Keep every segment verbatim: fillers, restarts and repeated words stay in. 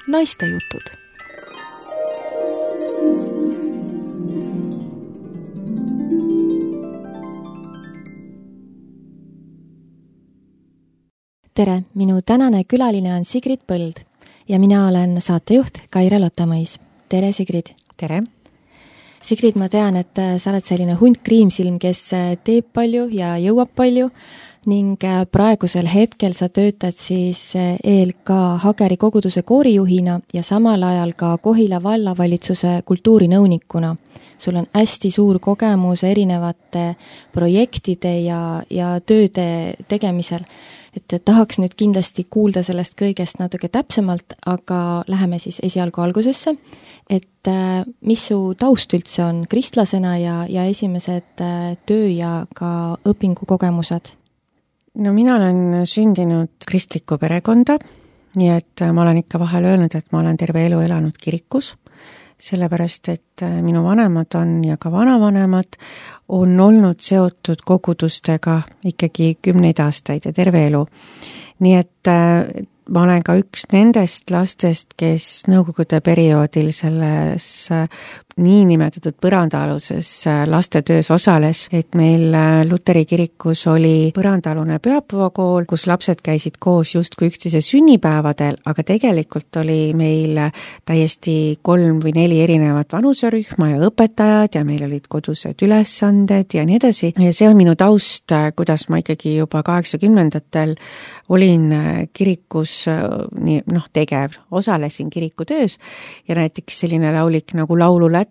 Naistejutud. Tere, minu tänane külaline on Sigrid Põld ja mina olen saatejuht Kaire Lottamõis. Tere, Sigrid! Tere! Sigrid, ma tean, et sa oled selline hunt kriimsilm, kes teeb palju ja jõuab palju ning praegusel hetkel sa töötad siis E L K Hageri koguduse koorijuhina ja samal ajal ka Kohila vallavalitsuse kultuurinõunikuna. Sul on hästi suur kogemus erinevate projektide ja, ja tööde tegemisel. Et tahaks nüüd kindlasti kuulda sellest kõigest natuke täpsemalt, aga läheme siis esialgu algusesse. Et mis su taust üldse on kristlasena ja, ja esimesed töö ja ka õpingukogemused? No mina olen sündinud kristlikku perekonda, nii et ma olen ikka vahel öelnud, et ma olen terve elu elanud kirikus, sellepärast, et minu vanemad on ja ka vanavanemad on olnud seotud kogudustega ikkagi kümneid aastaid ja terve elu. Nii et ma olen ka üks nendest lastest, kes nõukogude perioodil selles niinimetatud põrandaaluses lastetöös osales, et meil Luteri kirikus oli põrandaalune pühapäevakool, kus lapsed käisid koos justkui üksteise sünnipäevadel, aga tegelikult oli meil täiesti kolm või neli erinevat vanuserühma ja õpetajad ja meil olid kodused ülesanded ja nii edasi. Ja see on minu taust, kuidas ma ikkagi juba kaheksakümnendatel olin kirikus nii, noh, tegev, osalesin kirikutöös ja näiteks selline laulik nagu Laululätte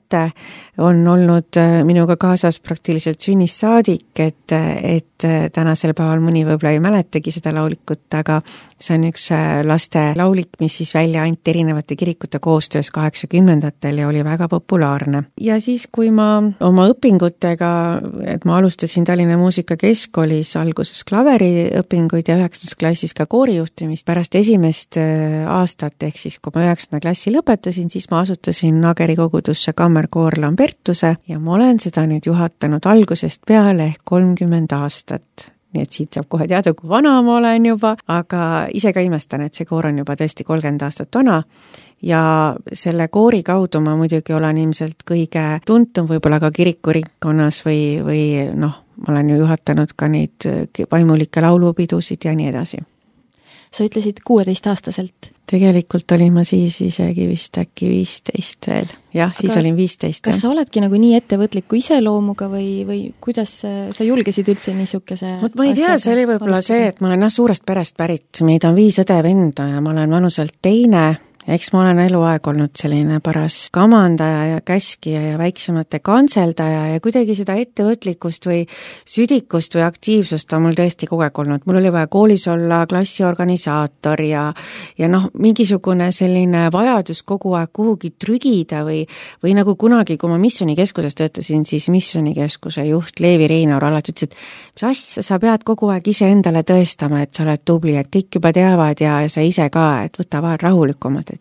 on olnud minuga kaasas praktiliselt sünnist saadik, et, et tänasel päeval mõni võib-olla ei mäletagi seda laulikut, aga see on üks laste laulik, mis siis välja anti erinevate kirikute koostöös kaheksakümnendatel ja oli väga populaarne. Ja siis, kui ma oma õpingutega, et ma alustasin Tallinna Muusikakeskkoolis alguses klaveriõpinguid ja üheksandas klassis ka koorijuhtimist, pärast esimest aastat, ehk siis kui ma üheksanda klassi lõpetasin, siis ma asutasin Hageri kogudusse kammerkoor Lambertuse ja ma olen seda nüüd juhatanud algusest peale ehk kolmkümmend aastat. Nii et siit saab kohe teada, kui vana ma olen juba, aga ise ka imestan, et see koor on juba tõesti kolmkümmend aastat vana ja selle koori kaudu ma muidugi olen ilmselt kõige tuntum võib-olla ka kirikuringkonnas või, või noh, ma olen ju juhatanud ka neid vaimulikke laulupidusid ja nii edasi. Sa ütlesid kuueteistaastaselt. Tegelikult olin ma siis isegi vist äkki viisteist veel. Jah, siis aga olin viisteist. Kas sa oledki nagu nii ettevõtliku iseloomuga või, või kuidas sa julgesid üldse niisuguse Mut ma ei tea, see oli võib-olla see, et ma olen jah, suurest perest pärit. Meid on viis õde venda ja ma olen vanuselt teine. Eks ma olen eluaeg olnud selline paras kamandaja ja käskija ja väiksemate kantseldaja ja kuidagi seda ettevõtlikkust või südikust või aktiivsust on mul tõesti kogu aeg olnud. Mul oli vaja koolis olla klassiorganisaator ja, ja noh, mingisugune selline vajadus kogu aeg kuhugi trügida või, või nagu kunagi, kui ma missionikeskuses töötasin, siis missionikeskuse juht Leevi Reinaur alati ütles, et mis asja, sa pead kogu aeg ise endale tõestama, et sa oled tubli, et kõik juba teavad ja, ja sa ise ka, et võta vahel rahulikumad, et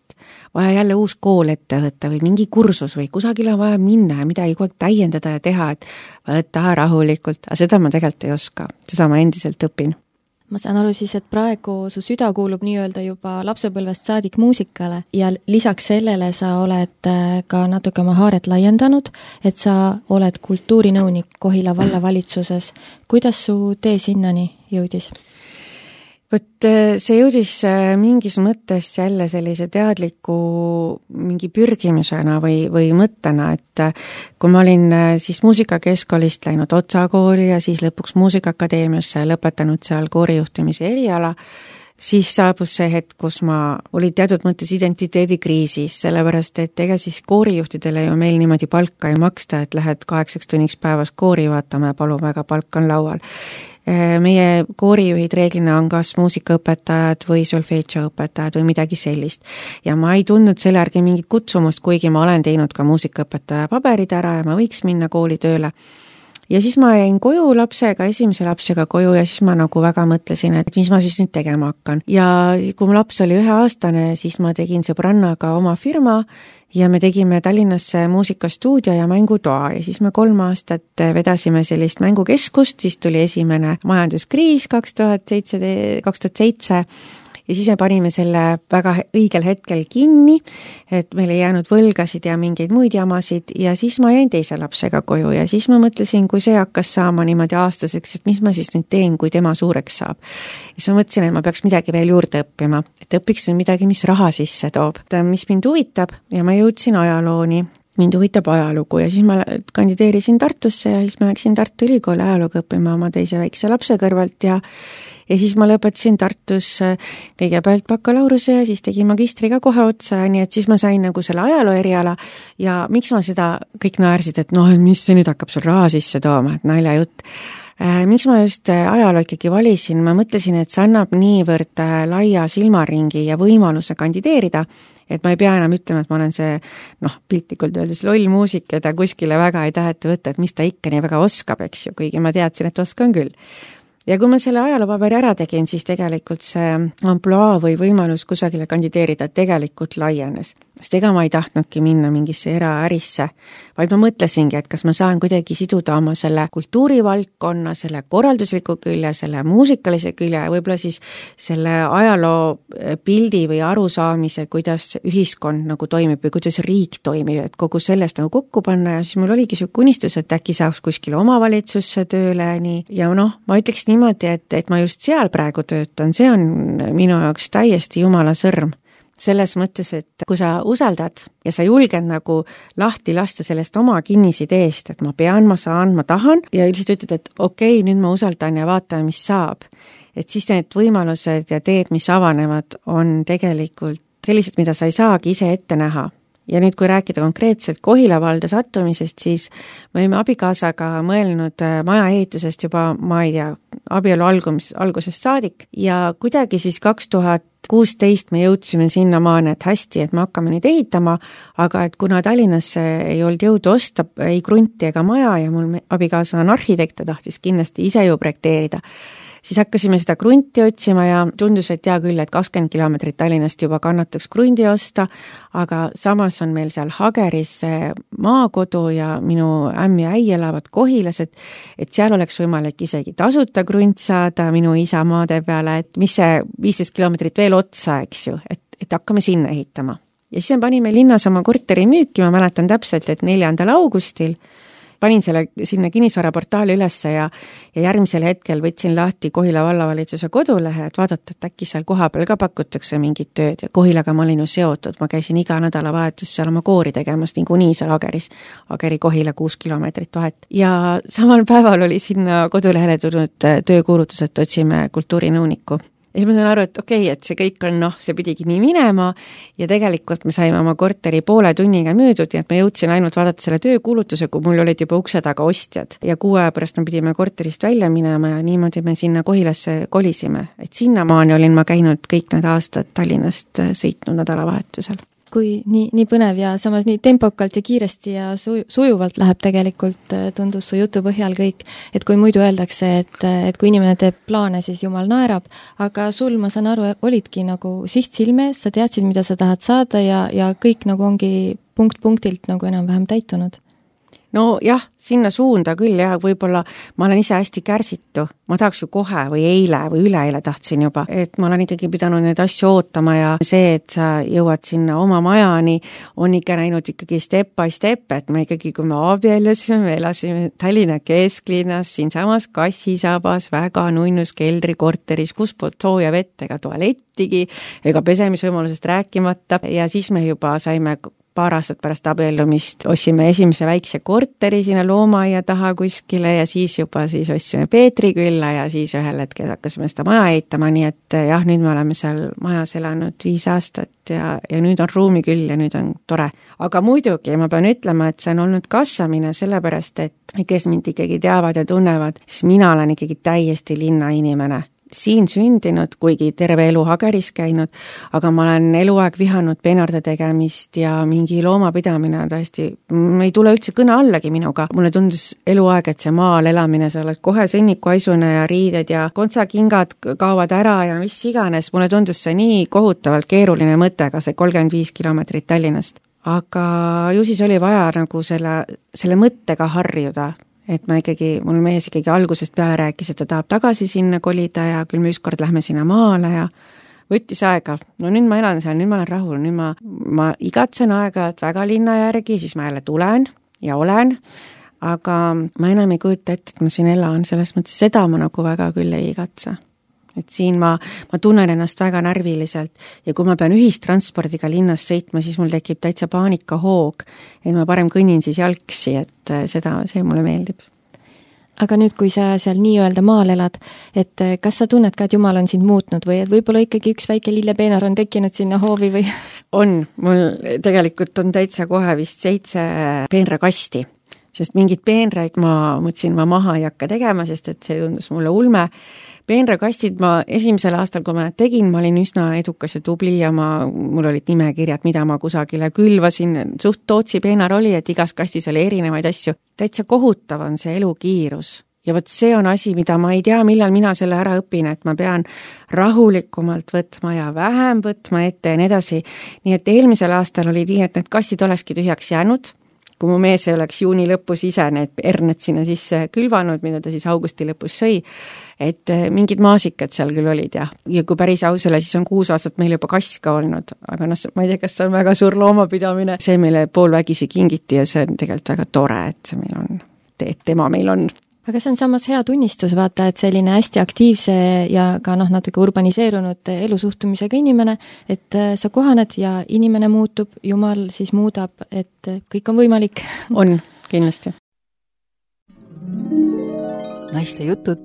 vaja jälle uus kool ette võtta või mingi kursus või kusagile on vaja minna ja midagi kogu aeg täiendada ja teha, et võta rahulikult, aga seda ma tegelikult ei oska, seda ma endiselt õpin. Ma saan aru siis, et praegu su süda kuulub nii-öelda juba lapsepõlvest saadik muusikale ja lisaks sellele sa oled ka natuke oma haaret laiendanud, et sa oled kultuurinõunik Kohila vallavalitsuses. Kuidas su tee sinnani jõudis? Võt see jõudis mingis mõttes jälle sellise teadliku mingi pürgimisena või, või mõttena, et kui ma olin siis muusikakeskkoolist läinud Otsa kooli ja siis lõpuks Muusikaakadeemiasse lõpetanud seal koorijuhtimise eriala, siis saabus see hetk, kus ma olin teatud mõttes identiteedikriisis, sellepärast et ega siis koorijuhtidele ju meil niimoodi palka ei maksta, et lähed kaheksaks tunniks päevas koori vaatama ja palun väga, palk on laual. Meie koorijuhid reeglina on kas muusikaõpetajad või solfeetsioõpetajad või midagi sellist. Ja ma ei tundnud selle järgi mingit kutsumust, kuigi ma olen teinud ka muusikaõpetaja paberid ära ja ma võiks minna kooli tööle. Ja siis ma jäin koju lapsega, esimese lapsega koju ja siis ma nagu väga mõtlesin, et mis ma siis nüüd tegema hakkan. Ja kui mu laps oli üheaastane, siis ma tegin sõbrannaga oma firma ja me tegime Tallinnasse muusikastuudio ja mängutoa ja siis me kolm aastat vedasime sellist mängukeskust, siis tuli esimene majanduskriis kaks tuhat seitse ja siis me panime selle väga õigel hetkel kinni, et meil ei jäänud võlgasid ja mingeid muid jamasid ja siis ma jäin teise lapsega koju ja siis ma mõtlesin, kui see hakkas saama niimoodi aastaseks, et mis ma siis nüüd teen, kui tema suureks saab. Ja siis ma mõtlesin, et ma peaks midagi veel juurde õppima, et õpiks midagi, mis raha sisse toob, mis mind huvitab ja ma jõudsin ajalooni. Mind huvitab ajalugu ja siis ma kandideerisin Tartusse ja siis ma läksin Tartu Ülikooli ajalugu õppima oma teise väikse lapse kõrvalt ja ja siis ma lõpetasin Tartus kõigepealt bakalaureuse ja siis tegin magistriga kohe otsa, nii et siis ma sain nagu selle ajaloo eriala ja miks ma seda kõik naersid, et noh, mis see nüüd hakkab sul raha sisse tooma, et naljajutt. Miks ma just ajaloo ikkagi valisin, ma mõtlesin, et see annab niivõrd laia silmaringi ja võimaluse kandideerida, et ma ei pea enam ütlema, et ma olen see, noh, piltlikult öeldes loll muusik, keda kuskile väga ei taheta võtta, et mis ta ikka nii väga oskab, eks ju, kuigi ma teadsin, et oskan küll. Ja kui ma selle ajaloopaberi ära tegin, siis tegelikult see amploa või võimalus kusagile kandideerida tegelikult laienes. Sest ega ma ei tahtnudki minna mingisse eraärisse, vaid ma mõtlesingi, et kas ma saan kuidagi siduda oma selle kultuurivaldkonna, selle korraldusliku külje, selle muusikalise külje ja võib-olla siis selle ajaloo pildi või arusaamise, kuidas ühiskond nagu toimib või kuidas riik toimib, et kogu sellest nagu kokku panna ja siis mul oligi see unistus, et äkki saaks kuskile omavalitsusse tööle nii. Ja noh, ma ütleks niimoodi, et, et ma just seal praegu töötan, see on minu jaoks täiesti jumala sõrm. Selles mõttes, et kui sa usaldad ja sa julged nagu lahti lasta sellest oma kinnisideest, et ma pean, ma saan, ma tahan ja üldiselt ütled, et okei, nüüd ma usaldan ja vaatame, mis saab. Et siis need võimalused ja teed, mis avanevad, on tegelikult sellised, mida sa ei saagi ise ette näha. Ja nüüd, kui rääkida konkreetselt Kohila valda sattumisest, siis me olime abikaasaga mõelnud maja ehitusest juba, ma ei tea, abielu algumis, algusest saadik ja kuidagi siis kaks tuhat kuusteist me jõudsime sinna maani, et hästi, et me hakkame nüüd ehitama, aga et kuna Tallinnasse ei olnud jõudu osta ei krunti ega maja ja mul abikaasa on arhitekt, ta tahtis kindlasti ise ju projekteerida, siis hakkasime seda krunti otsima ja tundus, et hea küll, et kakskümmend kilomeetrit Tallinnast juba kannataks krundi osta, aga samas on meil seal Hageris maakodu ja minu ämm ja äi elavad Kohilas, et, et seal oleks võimalik isegi tasuta krunt saada minu isa maade peale, et mis see viisteist kilomeetrit veel otsa, eks ju, et, et hakkame sinna ehitama. Ja siis panime linnas oma korteri müüki, ma mäletan täpselt, et neljandal augustil panin selle sinna kinnisvaraportaali ülesse ja, ja järgmisel hetkel võtsin lahti Kohila vallavalitsuse kodulehe, et vaadata, et äkki seal kohapeal ka pakutakse mingit tööd ja Kohilaga ma olin ju seotud, ma käisin iga nädalavahetus seal oma koori tegemas, niikuinii seal Hageris, Hageri Kohila kuus kilomeetrit vahet. Ja samal päeval oli sinna kodulehele tulnud töökuulutus, et otsime kultuurinõunikku. Ja siis ma sain aru, et okei, okay, et see kõik on, noh, see pidigi nii minema ja tegelikult me saime oma korteri poole tunniga müüdud ja et me jõudsin ainult vaadata selle töökuulutuse, kui mul olid juba ukse taga ostjad ja kuu aja pärast me pidime korterist välja minema ja niimoodi me sinna Kohilasse kolisime. Et sinnamaani olin ma käinud kõik need aastad Tallinnast sõitnud nädalavahetusel. Kui nii, nii põnev ja samas nii tempokalt ja kiiresti ja suju, sujuvalt läheb tegelikult, tundus su jutu põhjal kõik, et kui muidu öeldakse, et, et kui inimene teeb plaane, siis jumal naerab, aga sul, ma saan aru, olidki nagu siht silmes, sa teadsid, mida sa tahad saada ja, ja kõik nagu ongi punkt punktilt nagu enam-vähem täitunud. No jah, sinna suunda küll ja võib-olla ma olen ise hästi kärsitu, ma tahaks ju kohe või eile või üleeile tahtsin juba, et ma olen ikkagi pidanud neid asju ootama ja see, et sa jõuad sinna oma majani, on ikka näinud ikkagi step by step, et me ikkagi, kui me abiellusime, me elasime Tallinna kesklinnas, siinsamas Kassisabas, väga nunnus keldrikorteris, kus poolt sooja vett ega tualettigi, ega pesemisvõimalusest rääkimata ja siis me juba saime paar aastat pärast abiellumist ostsime esimese väikse korteri sinna loomaaia taha kuskile ja siis juba siis ostsime Peetri külla ja siis ühel hetkel hakkasime seda maja ehitama, nii et jah, nüüd me oleme seal majas elanud viis aastat ja, ja nüüd on ruumi küll ja nüüd on tore. Aga muidugi ma pean ütlema, et see on olnud kasvamine sellepärast, et kes mind ikkagi teavad ja tunnevad, siis mina olen ikkagi täiesti linnainimene. Siin sündinud, kuigi terve elu Hageris käinud, aga ma olen eluaeg vihanud peenarde tegemist ja mingi loomapidamine on täiesti, ei tule üldse kõne allagi minuga. Mulle tundus eluaeg, et see maal elamine, sa oled kohe sõnnikuaisune ja riided ja kontsakingad kaovad ära ja mis iganes. Mulle tundus see nii kohutavalt keeruline mõttega, see kolmkümmend viis kilomeetrit Tallinnast. Aga ju siis oli vaja nagu selle, selle mõttega harjuda. Et ma ikkagi, mul mees ikkagi algusest peale rääkis, et ta tahab tagasi sinna kolida ja küll me ükskord lähme sinna maale ja võttis aega. No nüüd ma elan seal, nüüd ma olen rahul, nüüd ma, ma igatsen aega, et väga linna järgi, siis ma jälle tulen ja olen, aga ma enam ei kujuta ette, et ma siin elan, selles mõttes seda ma nagu väga küll ei igatse. Et siin ma, ma tunnen ennast väga närviliselt ja kui ma pean ühistranspordiga linnas sõitma, siis mul tekib täitsa paanikahoog, et ma parem kõnnin siis jalgsi, et seda, see mulle meeldib. Aga nüüd, kui sa seal nii-öelda maal elad, et kas sa tunned ka, et Jumal on sind muutnud või et võib-olla ikkagi üks väike lillepeenar on tekkinud sinna hoovi või? On, mul tegelikult on täitsa kohe vist seitse peenrakasti, sest mingid peenraid ma mõtlesin, ma maha ei hakka tegema, sest et see tundus mulle ulme. Peenrakastid ma esimesel aastal, kui ma need tegin, ma olin üsna edukas ja tubli ja ma, mul olid nimekirjad, mida ma kusagile külvasin. Suht Tootsi peenar oli, et igas kastis oli erinevaid asju. Täitsa kohutav on see elukiirus. Ja võt see on asi, mida ma ei tea, millal mina selle ära õpin, et ma pean rahulikumalt võtma ja vähem võtma ette ja nii edasi. Nii et eelmisel aastal oli nii, et need kastid olekski tühjaks jäänud. Kui mu mees ei oleks juuni lõpus ise need erned sinna sisse külvanud, mida ta siis augusti lõpus sõi, et mingid maasikad seal küll olid ja, ja kui päris ausale, siis on kuus aastat meil juba kass ka olnud, aga noh, ma ei tea, kas see on väga suur loomapidamine, see meile poolvägisi kingiti ja see on tegelikult väga tore, et see meil on, et tema meil on. Aga see on samas hea tunnistus, vaata, et selline hästi aktiivse ja ka noh, natuke urbaniseerunud elusuhtumisega inimene, et sa kohaned ja inimene muutub, Jumal siis muudab, et kõik on võimalik. On, kindlasti. Naiste jutud.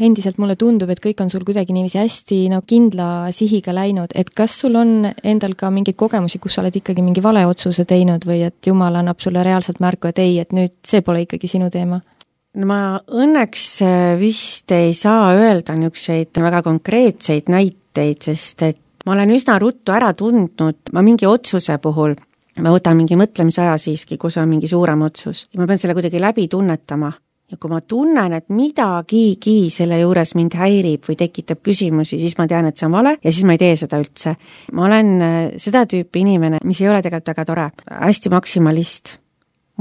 Endiselt mulle tundub, et kõik on sul kuidagi niiviisi hästi no, kindla sihiga läinud, et kas sul on endal ka mingeid kogemusi, kus sa oled ikkagi mingi vale otsuse teinud või et Jumal annab sulle reaalselt märku, et ei, et nüüd see pole ikkagi sinu teema? No ma õnneks vist ei saa öelda niisuguseid väga konkreetseid näiteid, sest et ma olen üsna ruttu ära tundnud, ma mingi otsuse puhul, ma võtan mingi mõtlemisaja siiski, kus on mingi suurem otsus ja ma pean selle kuidagi läbi tunnetama. Ja kui ma tunnen, et midagigi selle juures mind häirib või tekitab küsimusi, siis ma tean, et see on vale ja siis ma ei tee seda üldse. Ma olen seda tüüpi inimene, mis ei ole tegelikult väga tore, hästi maksimalist.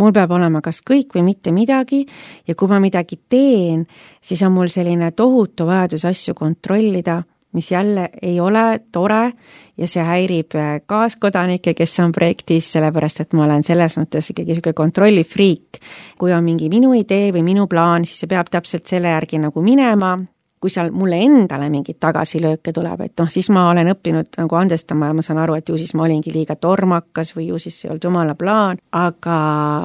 Mul peab olema kas kõik või mitte midagi ja kui ma midagi teen, siis on mul selline tohutu vajadus asju kontrollida, mis jälle ei ole tore ja see häirib kaaskodanikke, kes on projektis, sellepärast et ma olen selles mõttes ikkagi selline kontrollifriik. Kui on mingi minu idee või minu plaan, siis see peab täpselt selle järgi nagu minema. Kui seal mulle endale mingid tagasilööke tuleb, et noh, siis ma olen õppinud nagu andestama ja ma saan aru, et ju siis ma olingi liiga tormakas või ju siis ei olnud Jumala plaan, aga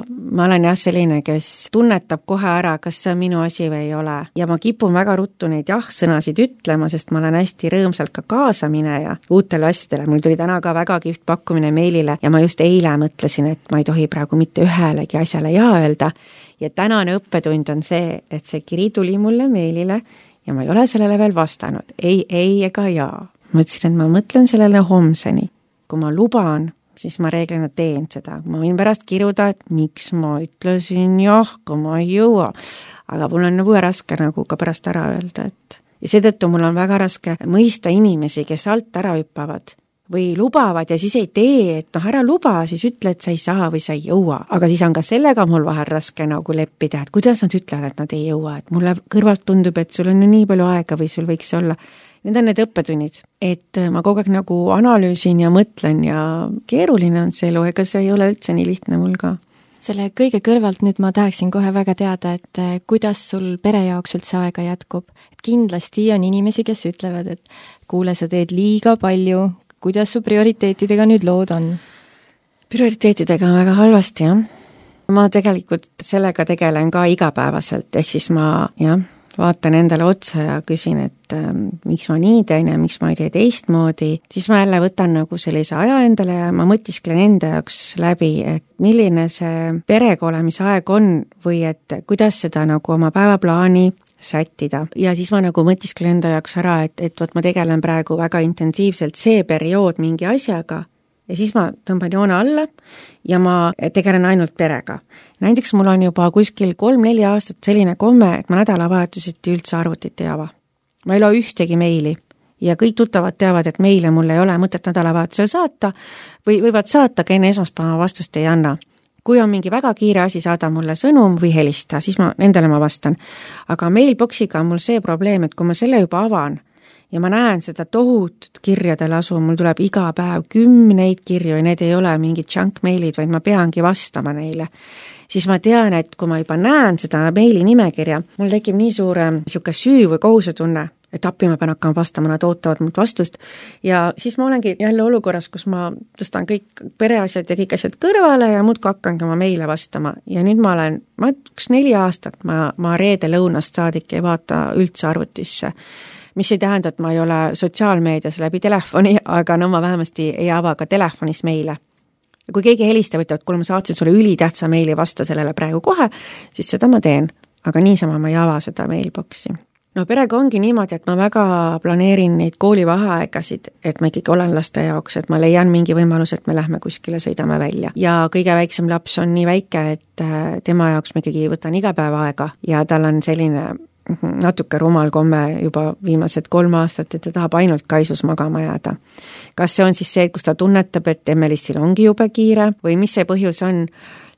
ma olen jah selline, kes tunnetab kohe ära, kas see on minu asi või ei ole. Ja ma kipun väga ruttu neid jah-sõnasid ütlema, sest ma olen hästi rõõmsalt ka kaasamineja uutele asjadele. Mul tuli täna ka väga kihvt pakkumine meilile ja ma just eile mõtlesin, et ma ei tohi praegu mitte ühelegi asjale ja öelda. Ja tänane õppetund on see, et see kiri tuli mulle meilile ja ma ei ole sellele veel vastanud. Ei, ei ega jaa. Ma ütlesin, et ma mõtlen sellele homseni. Kui ma luban, siis ma reeglina teen seda. Ma võin pärast kiruda, et miks ma ütlesin jah, kui ma ei jõua. Aga mul on nagu raske nagu ka pärast ära öelda. Et... Ja seetõttu mul on väga raske mõista inimesi, kes alt ära hüppavad või lubavad ja siis ei tee, et noh, ära luba, siis ütle, et sa ei saa või sa ei jõua. Aga siis on ka sellega mul vahel raske nagu leppida, et kuidas nad ütlevad, et nad ei jõua, et mulle kõrvalt tundub, et sul on ju nii palju aega või sul võiks olla. Need on need õppetunnid, et ma kogu aeg nagu analüüsin ja mõtlen ja keeruline on see elu, ega see ei ole üldse nii lihtne mul ka. Selle kõige kõrvalt nüüd ma tahaksin kohe väga teada, et kuidas sul pere jaoks üldse aega jätkub. Et kindlasti on inimesi, kes ütlevad, et kuule, sa teed liiga palju. Kuidas su prioriteetidega nüüd lood on? Prioriteetidega on väga halvasti, jah. Ma tegelikult sellega tegelen ka igapäevaselt, ehk siis ma jah, vaatan endale otsa ja küsin, et ähm, miks ma nii teen ja miks ma ei tee teistmoodi. Siis ma jälle võtan nagu sellise aja endale ja ma mõtisklen enda jaoks läbi, et milline see perega olemise aeg on või et kuidas seda nagu oma päevaplaani sättida. Ja siis ma nagu mõtisklen enda jaoks ära, et, et võt ma tegelen praegu väga intensiivselt see periood mingi asjaga ja siis ma tõmban joone alla ja ma tegelen ainult perega. Näiteks mul on juba kuskil kolm-neli aastat selline komme, et ma nädalavahetuseti üldse arvutit ei ava. Ma ei loe ühtegi meili ja kõik tuttavad teavad, et meile mul ei ole mõtet nädalavahetusel saata või võivad saata, aga enne esmaspäeva vastust ei anna. kui on mingi väga kiire asi, saada mulle sõnum või helista, siis ma, nendele ma vastan. Aga mailboxiga on mul see probleem, et kui ma selle juba avan ja ma näen seda tohutut kirjade lasu, mul tuleb iga päev kümneid kirju ja need ei ole mingid junk mailid, vaid ma peangi vastama neile, siis ma tean, et kui ma juba näen seda meili nimekirja, mul tekib nii suure siuke süü või kohusetunne, et appi ma pean hakkama vastama, nad ootavad mult vastust ja siis ma olengi jälle olukorras, kus ma tõstan kõik pereasjad ja kõik asjad kõrvale ja muudkui hakkangi oma meile vastama ja nüüd ma olen, ma üks neli aastat, ma, ma reede lõunast saadik ei vaata üldse arvutisse, mis ei tähenda, et ma ei ole sotsiaalmeedias läbi telefoni, aga no ma vähemasti ei ava ka telefonis meile. Ja kui keegi helistab, ütleb, et kuule ma saatsin sulle ülitähtsa meili vasta sellele praegu kohe, siis seda ma teen, aga niisama ma ei ava seda mailboxi. No perega ongi niimoodi, et ma väga planeerin neid koolivaheaegasid, et ma ikkagi olen laste jaoks, et ma leian mingi võimalus, et me lähme kuskile, sõidame välja. Ja kõige väiksem laps on nii väike, et tema jaoks ma ikkagi võtan iga päev aega ja tal on selline natuke rumal komme juba viimased kolm aastat, et ta tahab ainult kaisus magama jääda. Kas see on siis see, kus ta tunnetab, et Emelissil ongi jube kiire või mis see põhjus on?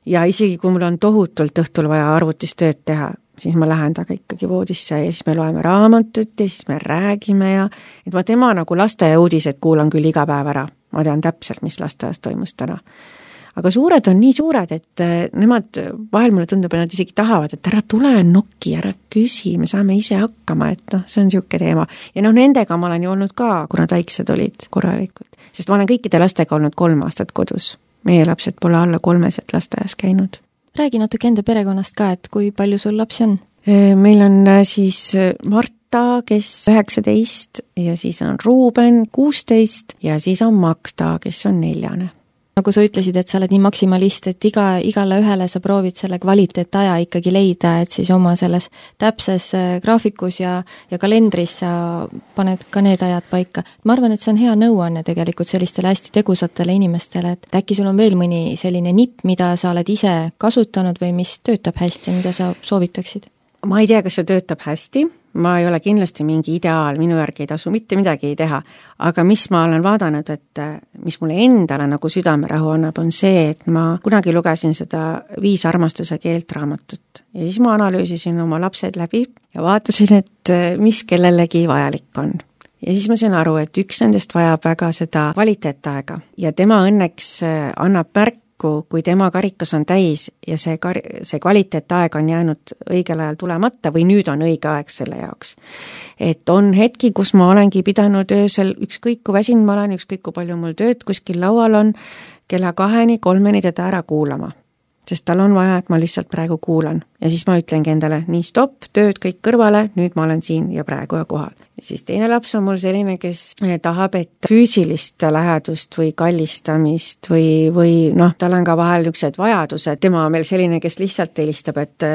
Ja isegi kui mul on tohutult õhtul vaja arvutistööd teha, siis ma lähen taga ikkagi voodisse ja siis me loeme raamatut ja siis me räägime ja et ma tema nagu lasteaia uudised kuulan küll iga päev ära. Ma tean täpselt, mis lasteaias toimus täna. Aga suured on nii suured, et nemad vahel mulle tundub, et nad isegi tahavad, et ära tule noki, ära küsi, me saame ise hakkama, et noh, see on siuke teema. Ja noh, nendega ma olen ju olnud ka, kuna taiksed olid korralikult. Sest ma olen kõikide lastega olnud kolm aastat kodus. Meie lapsed pole alla kolmeselt lasteaias käinud. Räägi natuke enda perekonnast ka, et kui palju sul lapsi on? Meil on siis Marta, kes üheksateist ja siis on Ruuben kuusteist ja siis on Magda, kes on neljane. Nagu sa ütlesid, et sa oled nii maksimalist, et iga, igale ühele sa proovid selle kvaliteetaja ikkagi leida, et siis oma selles täpses graafikus ja, ja kalendris sa paned ka need ajad paika. Ma arvan, et see on hea nõuanne tegelikult sellistele hästi tegusatele inimestele, et äkki sul on veel mõni selline nipp, mida sa oled ise kasutanud või mis töötab hästi, mida sa soovitaksid? Ma ei tea, kas see töötab hästi, ma ei ole kindlasti mingi ideaal, minu järgi ei tasu mitte midagi ei teha, aga mis ma olen vaadanud, et mis mulle endale nagu südamerahu annab, on see, et ma kunagi lugesin seda Viis armastuse keelt raamatut ja siis ma analüüsisin oma lapsed läbi ja vaatasin, et mis kellelegi vajalik on. Ja siis ma sain aru, et üks nendest vajab väga seda kvaliteetaega ja tema õnneks annab märk, kui tema karikas on täis ja see, kar- see kvaliteetaeg on jäänud õigel ajal tulemata või nüüd on õige aeg selle jaoks. Et on hetki, kus ma olengi pidanud öösel ükskõik kui väsinud ma olen, ükskõik kui palju mul tööd kuskil laual on, kella kaheni, kolmeni teda ära kuulama. Sest tal on vaja, et ma lihtsalt praegu kuulan. Ja siis ma ütlengi endale, nii stopp, tööd kõik kõrvale, nüüd ma olen siin ja praegu ja kohal. Ja siis teine laps on mul selline, kes tahab, et füüsilist lähedust või kallistamist või, või noh, tal on ka vahel niisugused vajadused. Tema on meil selline, kes lihtsalt helistab, et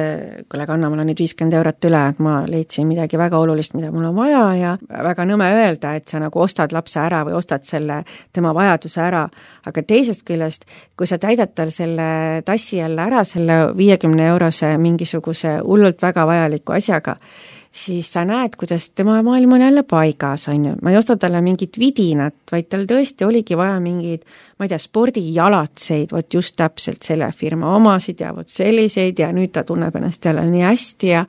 kuule, kanna, mul on nüüd viiskümmend eurot üle, et ma leidsin midagi väga olulist, mida mul on vaja ja väga nõme öelda, et sa nagu ostad lapse ära või ostad selle tema vajaduse ära. Aga teisest küljest, kui sa täidad tal selle tassi jälle ära selle viiekümne eurose mingisuguse hullult väga vajaliku asjaga, siis sa näed, kuidas tema maailm on jälle paigas, on ju. Ma ei osta talle mingit vidinat, vaid tal tõesti oligi vaja mingid, ma ei tea, spordijalatseid, võt just täpselt selle firma omasid ja võt selliseid ja nüüd ta tunneb ennast jälle nii hästi ja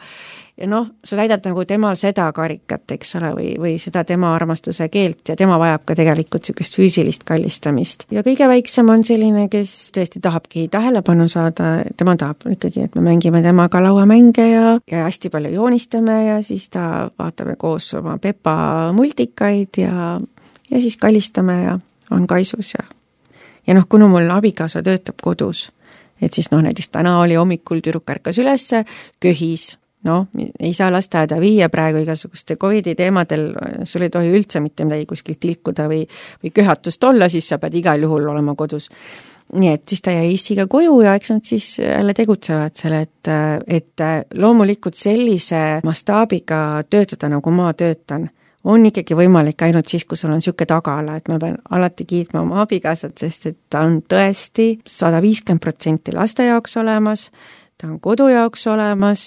Ja noh, sa täidad nagu temal seda karikat, eks ole, või, või seda tema armastuse keelt ja tema vajab ka tegelikult niisugust füüsilist kallistamist. Ja kõige väiksem on selline, kes tõesti tahabki tähelepanu saada, tema tahab ikkagi, et me mängime temaga lauamänge ja, ja hästi palju joonistame ja siis ta vaatame koos oma Pepa multikaid ja, ja siis kallistame ja on kaisus ja ja noh, kuna mul abikaasa töötab kodus, et siis noh, näiteks täna oli hommikul tüdruk ärkas ülesse, köhis, no, ei saa lasteaeda viia praegu igasuguste Covidi teemadel, sul ei tohi üldse mitte midagi kuskilt tilkuda või, või köhatust olla, siis sa pead igal juhul olema kodus. Nii et siis ta jäi issiga koju ja eks nad siis jälle tegutsevad selle, et, et loomulikult sellise mastaabiga töötada, nagu ma töötan, on ikkagi võimalik ainult siis, kui sul on siuke tagala, et ma pean alati kiitma oma abikaasat, sest et ta on tõesti sada viiskümmend protsenti laste jaoks olemas, ta on kodu jaoks olemas,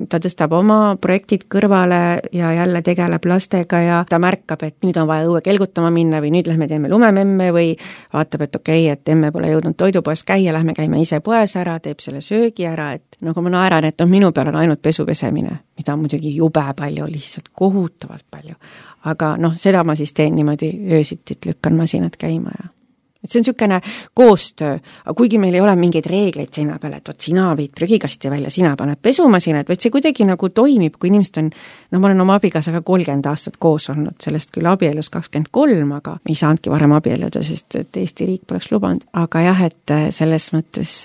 ta tõstab oma projektid kõrvale ja jälle tegeleb lastega ja ta märkab, et nüüd on vaja õue kelgutama minna või nüüd lähme teeme lumememme või vaatab, et okei okay,, et emme pole jõudnud toidupoes käia, lähme käime ise poes ära, teeb selle söögi ära, et nagu ma naeran, et on minu peal on ainult pesu pesemine, mida on muidugi jube palju, lihtsalt kohutavalt palju. Aga noh, seda ma siis teen niimoodi öösitit, lükkan masinad käima ja et see on niisugune koostöö, aga kuigi meil ei ole mingeid reegleid seina peale, et oot, sina viid prügikasti välja, sina paned pesumasinad, vaid see kuidagi nagu toimib, kui inimesed on, no ma olen oma abikaasaga kolmkümmend aastat koos olnud, sellest küll abielus kakskümmend kolm, aga ei saanudki varem abielluda, sest et Eesti riik poleks lubanud. Aga jah, et selles mõttes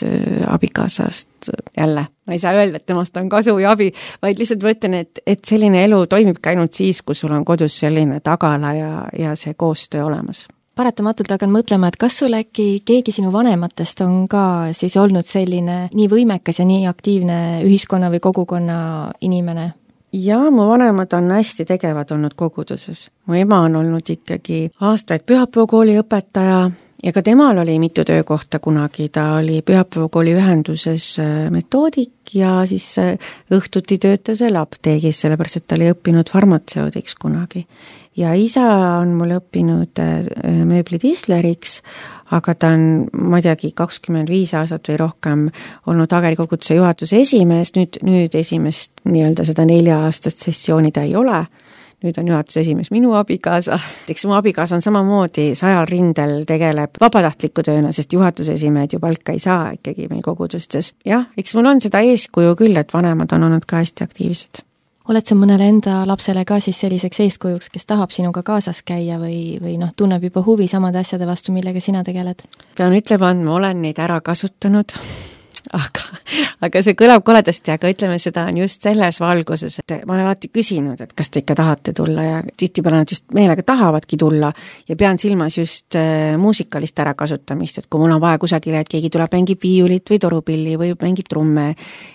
abikaasast jälle, ma ei saa öelda, et temast on kasu ja abi, vaid lihtsalt võtan, et, et selline elu toimibki ainult siis, kui sul on kodus selline tagala ja, ja see koostöö olemas. Paratamatult hakkan mõtlema, et kas sul äkki keegi sinu vanematest on ka siis olnud selline nii võimekas ja nii aktiivne ühiskonna või kogukonna inimene? Jaa, mu vanemad on hästi tegevad olnud koguduses. Mu ema on olnud ikkagi aastaid pühapäevakooli õpetaja ja ka temal oli mitu töökohta kunagi. Ta oli pühapäevakooli ühenduses metoodik ja siis õhtuti töötas seal apteegis, sellepärast et ta oli õppinud farmatseudiks kunagi. Ja isa on mul õppinud mööblidisleriks, aga ta on muidugi kakskümmend viis aastat või rohkem olnud Hageri koguduse juhatuse esimees, nüüd, nüüd esimest nii-öelda seda nelja aastast sessiooni ta ei ole. Nüüd on juhatuse esimees minu abikaasa. Eks mu abikaasa on samamoodi sajal rindel tegeleb vabatahtliku tööna, sest juhatuse esimehed ju palka ei saa ikkagi meil kogudustes. Jah, eks mul on seda eeskuju küll, et vanemad on olnud ka hästi aktiivsed. Oled sa mõnele enda lapsele ka siis selliseks eeskujuks, kes tahab sinuga kaasas käia või, või noh, tunneb juba huvi samade asjade vastu, millega sina tegeled? Pean ütlema, et ma olen neid ära kasutanud, aga, aga see kõlab koledasti, aga ütleme, seda on just selles valguses, et ma olen alati küsinud, et kas te ikka tahate tulla ja tihtipeale nad just meelega tahavadki tulla ja pean silmas just äh, muusikalist ärakasutamist, et kui mul on vaja kusagile, et keegi tuleb mängib viiulit või torupilli või mängib trumme,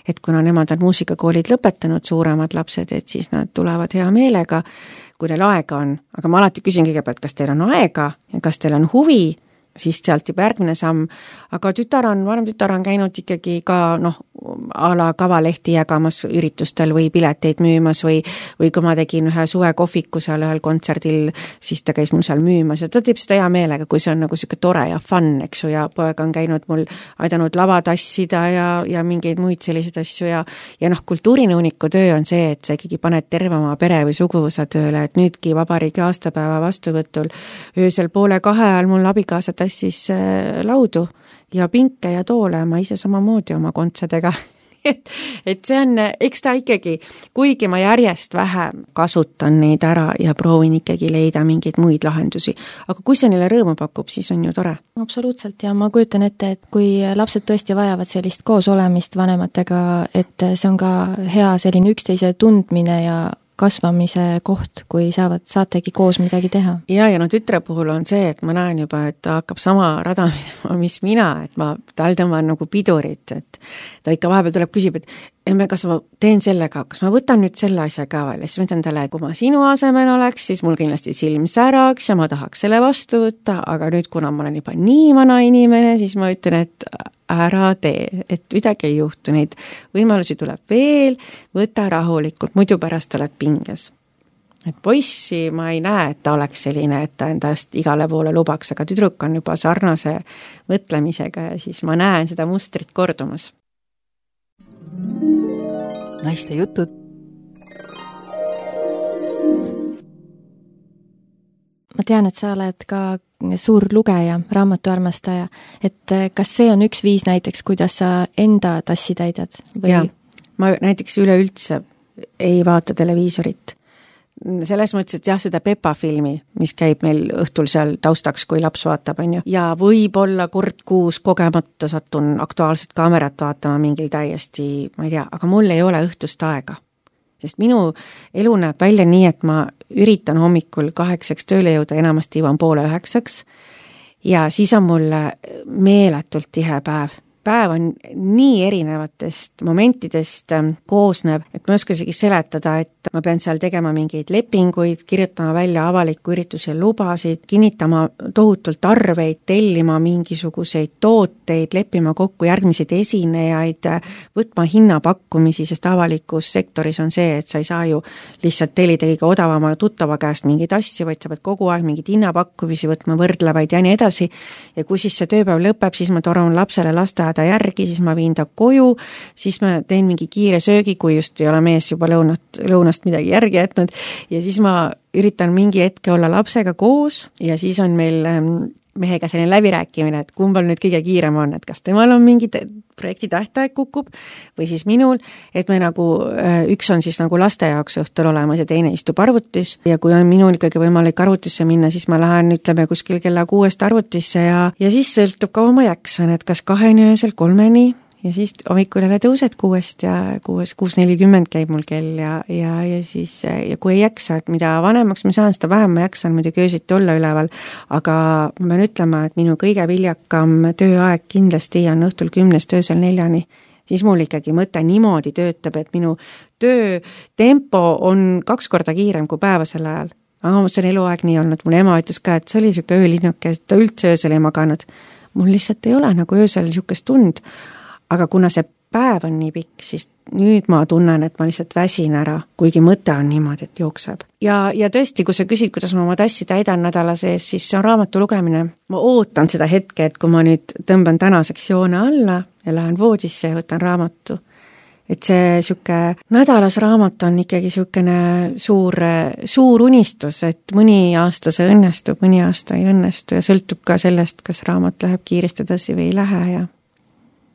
et kuna nemad on muusikakoolid lõpetanud, suuremad lapsed, et siis nad tulevad hea meelega, kui neil aega on, aga ma alati küsin kõigepealt, kas teil on aega ja kas teil on huvi, siis sealt juba järgmine samm, aga tütar on, vanem tütar on käinud ikkagi ka noh, a la kavalehti jagamas üritustel või pileteid müümas või, või kui ma tegin ühe suvekohviku seal ühel kontserdil, siis ta käis mul seal müümas ja ta teeb seda hea meelega, kui see on nagu siuke tore ja fun, eks ju, ja poeg on käinud mul aidanud lava tassida ja, ja mingeid muid selliseid asju ja, ja noh, kultuurinõuniku töö on see, et sa ikkagi paned terve oma pere või suguvõsa tööle, et nüüdki vabariigi aastapäeva vastuvõtul öösel poole kahe ajal mul abikaasa tassis laudu ja pinke ja toole, ma ise samamoodi oma kontsadega. et, et see on, eks ta ikkagi, kuigi ma järjest vähem kasutan neid ära ja proovin ikkagi leida mingeid muid lahendusi, aga kui see neile rõõmu pakub, siis on ju tore. Absoluutselt ja ma kujutan ette, et kui lapsed tõesti vajavad sellist koos olemist vanematega, et see on ka hea selline üksteise tundmine ja kasvamise koht, kui saavad, saategi koos midagi teha. Ja, ja no tütre puhul on see, et ma näen juba, et ta hakkab sama rada minema, mis mina, et ma tal tõmban nagu pidurit, et ta ikka vahepeal tuleb küsib, et emme, kas ma teen sellega, kas ma võtan nüüd selle asja ka veel, siis ma ütlen talle, et kui ma sinu asemel oleks, siis mul kindlasti silm säraks ja ma tahaks selle vastu võtta, aga nüüd, kuna ma olen juba nii vana inimene, siis ma ütlen, et ära tee, et midagi ei juhtu, neid võimalusi tuleb veel, võta rahulikult, muidu pärast oled pinges. Et poissi ma ei näe, et ta oleks selline, et ta endast igale poole lubaks, aga tüdruk on juba sarnase mõtlemisega ja siis ma näen seda mustrit kordumas. Naiste jutud. Ma tean, et sa oled ka suur lugeja, raamatuarmastaja, et kas see on üks viis näiteks, kuidas sa enda tassi täidad? Või? Ja, ma näiteks üleüldse ei vaata televiisorit. Selles mõttes, et jah, seda Pepa filmi, mis käib meil õhtul seal taustaks, kui laps vaatab, on ju. Ja võib-olla kord kuus kogemata satun aktuaalset kaamerat vaatama mingil täiesti, ma ei tea, aga mul ei ole õhtust aega. Sest minu elu näeb välja nii, et ma üritan hommikul kaheksaks tööle jõuda, enamasti jõuan poole üheksaks ja siis on mul meeletult tihe päev. päev on nii erinevatest momentidest koosnev, et ma ei oska isegi seletada, et ma pean seal tegema mingeid lepinguid, kirjutama välja avaliku ürituse lubasid, kinnitama tohutult arveid, tellima mingisuguseid tooteid, leppima kokku järgmiseid esinejaid, võtma hinnapakkumisi, sest avalikus sektoris on see, et sa ei saa ju lihtsalt tellida kõige odavama tuttava käest mingeid asju, vaid sa pead kogu aeg mingid hinnapakkumisi võtma, võrdlevaid ja nii edasi. Ja kui siis see tööpäev lõpeb, siis ma toran lapsele lasteaeda järgi, siis ma viin ta koju, siis ma teen mingi kiire söögi, kui just ei ole mees juba lõunat, lõunast midagi järgi jätnud ja siis ma üritan mingi hetke olla lapsega koos ja siis on meil mehega selline läbirääkimine, et kumbal nüüd kõige kiirem on, et kas temal on mingi projekti tähtaeg kukub või siis minul, et me nagu, üks on siis nagu laste jaoks õhtul olemas ja teine istub arvutis ja kui on minul ikkagi võimalik arvutisse minna, siis ma lähen, ütleme, kuskil kella kuuest arvutisse ja, ja siis sõltub kaua ma jaksan, et kas kaheni öösel kolmeni ja siis hommikul jälle tõused kuuest ja kuus, kuus nelikümmend käib mul kell ja, ja, ja siis, ja kui ei jaksa, et mida vanemaks ma saan, seda vähem ma jaksan muidugi öösiti olla üleval, aga ma pean ütlema, et minu kõige viljakam tööaeg kindlasti on õhtul kümnest öösel neljani. Siis mul ikkagi mõte niimoodi töötab, et minu töötempo on kaks korda kiirem kui päevasel ajal. Aga see on eluaeg nii olnud, mul ema ütles ka, et see oli siuke öölinnuke, et ta üldse öösel ei maganud. Mul lihtsalt ei ole nagu öösel siukest tund. Aga kuna see päev on nii pikk, siis nüüd ma tunnen, et ma lihtsalt väsin ära, kuigi mõte on niimoodi, et jookseb. Ja, ja tõesti, kui sa küsid, kuidas ma oma tassi täidan nädala sees, siis see on raamatu lugemine. Ma ootan seda hetke, et kui ma nüüd tõmban tänaseks joone alla ja lähen voodisse ja võtan raamatu. Et see siuke nädalas raamat on ikkagi siukene suur, suur unistus, et mõni aasta see õnnestub, mõni aasta ei õnnestu ja sõltub ka sellest, kas raamat läheb kiiresti edasi või ei lähe ja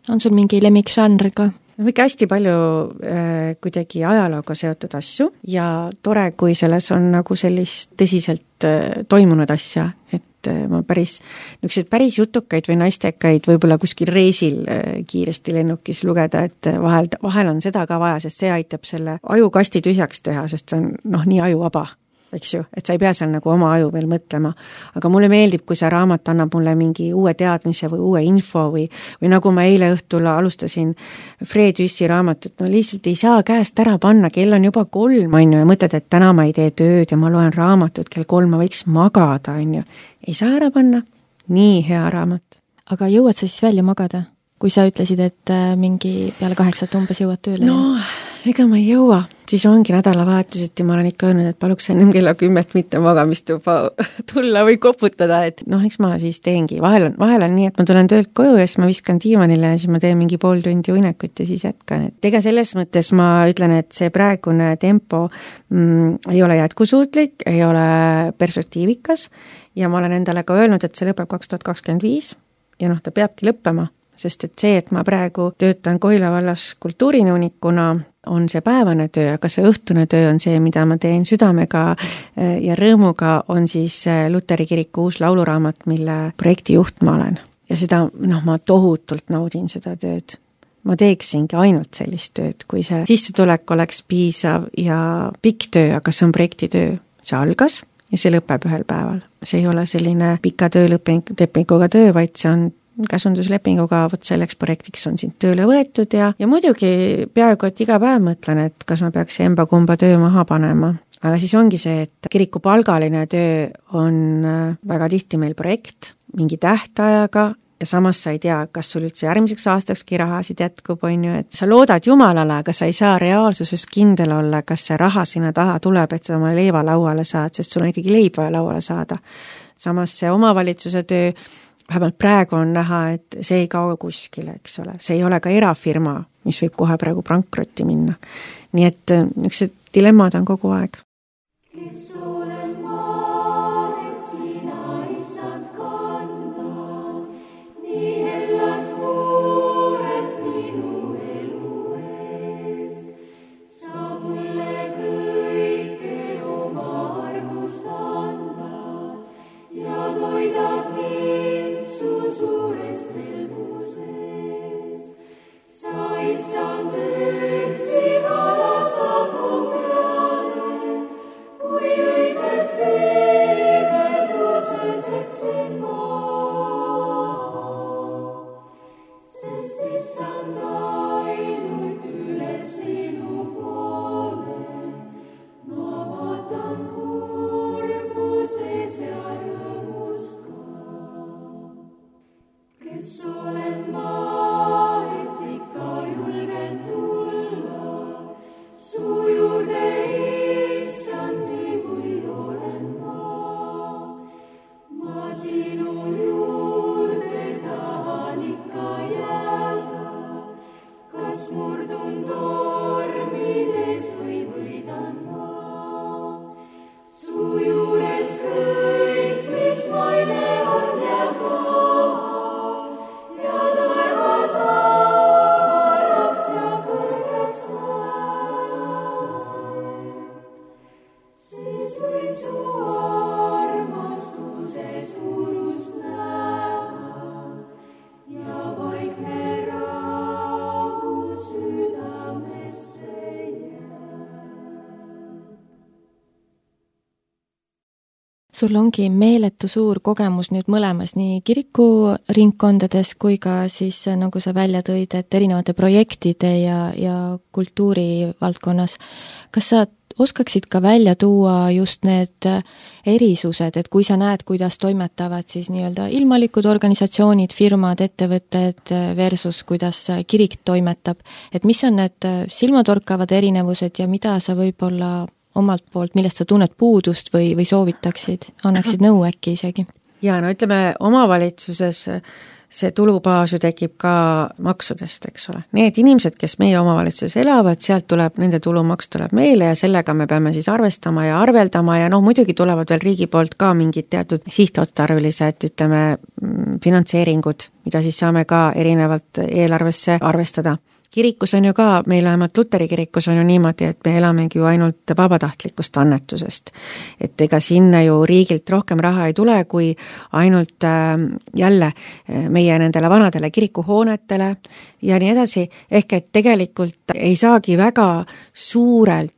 on sul mingi lemmikžanr ka? No ikka hästi palju äh, kuidagi ajalooga seotud asju ja tore, kui selles on nagu sellist tõsiselt äh, toimunud asja, et äh, ma päris, niisugused päris jutukaid või naistekaid võib-olla kuskil reisil äh, kiiresti lennukis lugeda, et vahel, vahel on seda ka vaja, sest see aitab selle ajukasti tühjaks teha, sest see on noh, nii ajuvaba. Eks ju, et sa ei pea seal nagu oma aju veel mõtlema. Aga mulle meeldib, kui see raamat annab mulle mingi uue teadmise või uue info või, või nagu ma eile õhtul alustasin Fred Jüssi raamatut, no lihtsalt ei saa käest ära panna, kell on juba kolm, on ju, ja mõtled, et täna ma ei tee tööd ja ma loen raamatut, kell kolm ma võiks magada, on ju. Ei saa ära panna. Nii hea raamat. Aga jõuad sa siis välja magada? Kui sa ütlesid, et mingi peale kaheksat umbes jõuad tööle? No, ega ma ei jõua. Siis ongi nädalavahetuseti, ma olen ikka öelnud, et paluks ennem kella kümmet mitte magamist juba tulla või koputada, et noh, eks ma siis teengi. Vahel on, vahel on nii, et ma tulen töölt koju ja siis ma viskan diivanile ja siis ma teen mingi pool tundi unekut ja siis jätkan. Et ega selles mõttes ma ütlen, et see praegune tempo mm, ei ole jätkusuutlik, ei ole perspektiivikas ja ma olen endale ka öelnud, et see lõpeb kaks tuhat kakskümmend viis ja noh, ta peabki lõppema. Sest et see, et ma praegu töötan Koila vallas kultuurinõunikuna, on see päevane töö, aga see õhtune töö on see, mida ma teen südamega ja rõõmuga, on siis Luteri kiriku uus lauluraamat, mille projektijuht ma olen. Ja seda, noh, ma tohutult naudin seda tööd. Ma teeksingi ainult sellist tööd, kui see sissetulek oleks piisav ja pikk töö, aga see on projektitöö. See algas ja see lõpeb ühel päeval. See ei ole selline pika töölepinguga töö, vaid see on käsunduslepinguga, vot selleks projektiks on sind tööle võetud ja, ja muidugi peaaegu, et iga päev mõtlen, et kas ma peaks emba kumba töö maha panema. Aga siis ongi see, et kiriku palgaline töö on väga tihti meil projekt, mingi tähtajaga ja samas sa ei tea, kas sul üldse järgmiseks aastakski rahasid jätkub, on ju, et sa loodad Jumalale, aga sa ei saa reaalsuses kindel olla, kas see raha sinna taha tuleb, et sa oma leiva lauale saad, sest sul on ikkagi leib vaja lauale saada. Samas see omavalitsuse töö vähemalt praegu on näha, et see ei kao kuskile, eks ole. See ei ole ka erafirma, mis võib kohe praegu pankrotti minna. Nii et niisugused dilemmad on kogu aeg. Kui Sul ongi meeletu suur kogemus nüüd mõlemas, nii kirikuringkondades kui ka siis, nagu sa välja tõid, et erinevate projektide ja, ja kultuuri valdkonnas. Kas sa oskaksid ka välja tuua just need erisused, et kui sa näed, kuidas toimetavad siis nii-öelda ilmalikud organisatsioonid, firmad, ettevõtted versus kuidas kirik toimetab, et mis on need silmatorkavad erinevused ja mida sa võib-olla omalt poolt, millest sa tunned puudust või, või soovitaksid, annaksid nõu äkki isegi? Ja no ütleme, omavalitsuses see tulubaas ju tekib ka maksudest, eks ole. Need inimesed, kes meie omavalitsuses elavad, sealt tuleb, nende tulumaks tuleb meile ja sellega me peame siis arvestama ja arveldama ja noh, muidugi tulevad veel riigi poolt ka mingid teatud sihtotstarbelised, ütleme, finantseeringud, mida siis saame ka erinevalt eelarvesse arvestada. Kirikus on ju ka, meil vähemalt Luteri kirikus on ju niimoodi, et me elamegi ju ainult vabatahtlikust annetusest. Et ega sinna ju riigilt rohkem raha ei tule, kui ainult äh, jälle meie nendele vanadele kirikuhoonetele ja nii edasi. Ehk et tegelikult ei saagi väga suurelt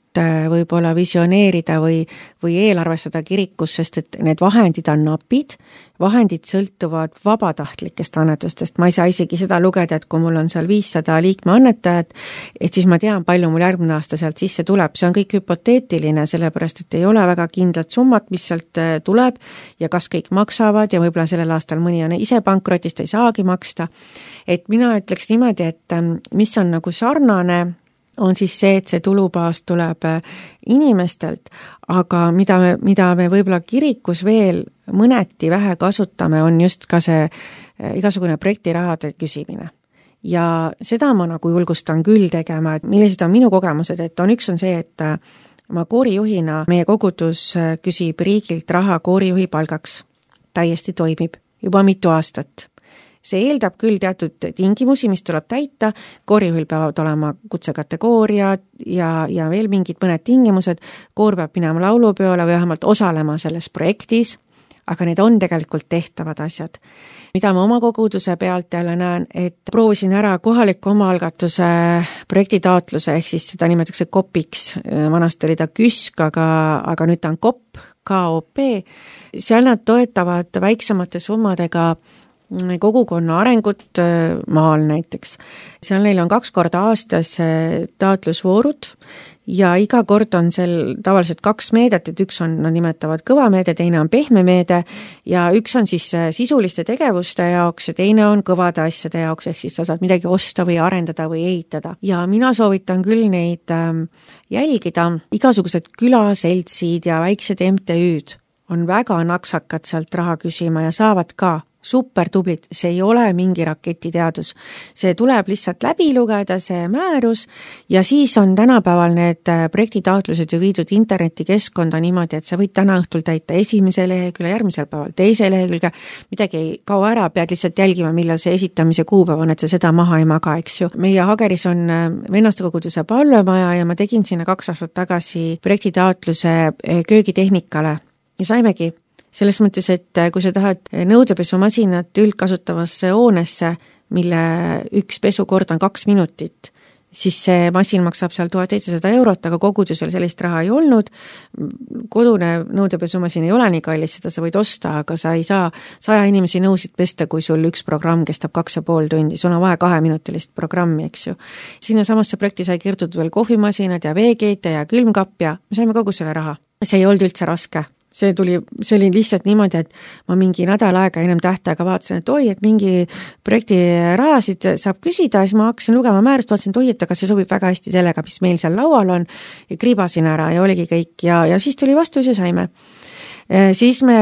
võib-olla visioneerida või, või eelarvestada kirikus, sest et need vahendid on napid, vahendid sõltuvad vabatahtlikest annetustest. Ma ei saa isegi seda lugeda, et kui mul on seal viissada liikme annetajat, et siis ma tean, palju mul järgmine aasta sealt sisse tuleb. See on kõik hüpoteetiline, sellepärast, et ei ole väga kindlat summat, mis sealt tuleb ja kas kõik maksavad ja võib-olla sellel aastal mõni on ise pankrotist, ei saagi maksta. Et mina ütleks niimoodi, et mis on nagu sarnane, on siis see, et see tulubaas tuleb inimestelt, aga mida me, mida me võib-olla kirikus veel mõneti vähe kasutame, on just ka see igasugune projektirahade küsimine. Ja seda ma nagu julgustan küll tegema, et millised on minu kogemused, et on üks on see, et ma koorijuhina, meie kogudus küsib riigilt raha koorijuhi palgaks. Täiesti toimib juba mitu aastat. See eeldab küll teatud tingimusi, mis tuleb täita, koorijuhil peavad olema kutsekategooria ja, ja veel mingid mõned tingimused, koor peab minema laulupeole või vähemalt osalema selles projektis, aga need on tegelikult tehtavad asjad. Mida ma oma koguduse pealt jälle näen, et proovisin ära kohaliku omaalgatuse projektitaotluse, ehk siis seda nimetatakse kopiks, vanasti oli ta küsk, aga, aga nüüd ta on kopp, K O P, seal nad toetavad väiksemate summadega kogukonna arengut maal näiteks. Seal neil on kaks korda aastas taotlusvoorud ja iga kord on seal tavaliselt kaks meedet, et üks on, nad nimetavad kõva meede, teine on pehme meede ja üks on siis sisuliste tegevuste jaoks ja teine on kõvade asjade jaoks, ehk siis sa saad midagi osta või arendada või ehitada. Ja mina soovitan küll neid jälgida, igasugused külaseltsid ja väiksed M T Ü'd on väga naksakad sealt raha küsima ja saavad ka super tublid, see ei ole mingi raketiteadus. See tuleb lihtsalt läbi lugeda, see määrus ja siis on tänapäeval need projektitaotlused ju viidud internetikeskkonda niimoodi, et sa võid täna õhtul täita esimese lehekülje, järgmisel päeval teise lehekülge, midagi ei kao ära, pead lihtsalt jälgima, millal see esitamise kuupäev on, et sa seda maha ei maga, eks ju. Meie Hageris on vennaste koguduse palvemaja ja ma tegin sinna kaks aastat tagasi projektitaotluse köögitehnikale ja saimegi selles mõttes, et kui sa tahad nõudepesumasinat üldkasutavasse hoonesse, mille üks pesukord on kaks minutit, siis see masin maksab seal tuhat seitsesada eurot, aga kogudusel sellist raha ei olnud. Kodune nõudepesumasin ei ole nii kallis, seda sa võid osta, aga sa ei saa saja inimesi nõusid pesta, kui sul üks programm kestab kaks ja pool tundi. Sul on vaja kaheminutilist programmi, eks ju. Sinna samasse projekti sai kirjutatud veel kohvimasinad ja veekeete ja külmkapp ja me saime kogu selle raha. See ei olnud üldse raske. See tuli, see oli lihtsalt niimoodi, et ma mingi nädal aega ennem tähtaega vaatasin, et oi, et mingi projekti rahasid saab küsida, siis ma hakkasin lugema määrust, vaatasin, et oi, et aga see sobib väga hästi sellega, mis meil seal laual on ja kribasin ära ja oligi kõik ja, ja siis tuli vastu ja saime. Siis me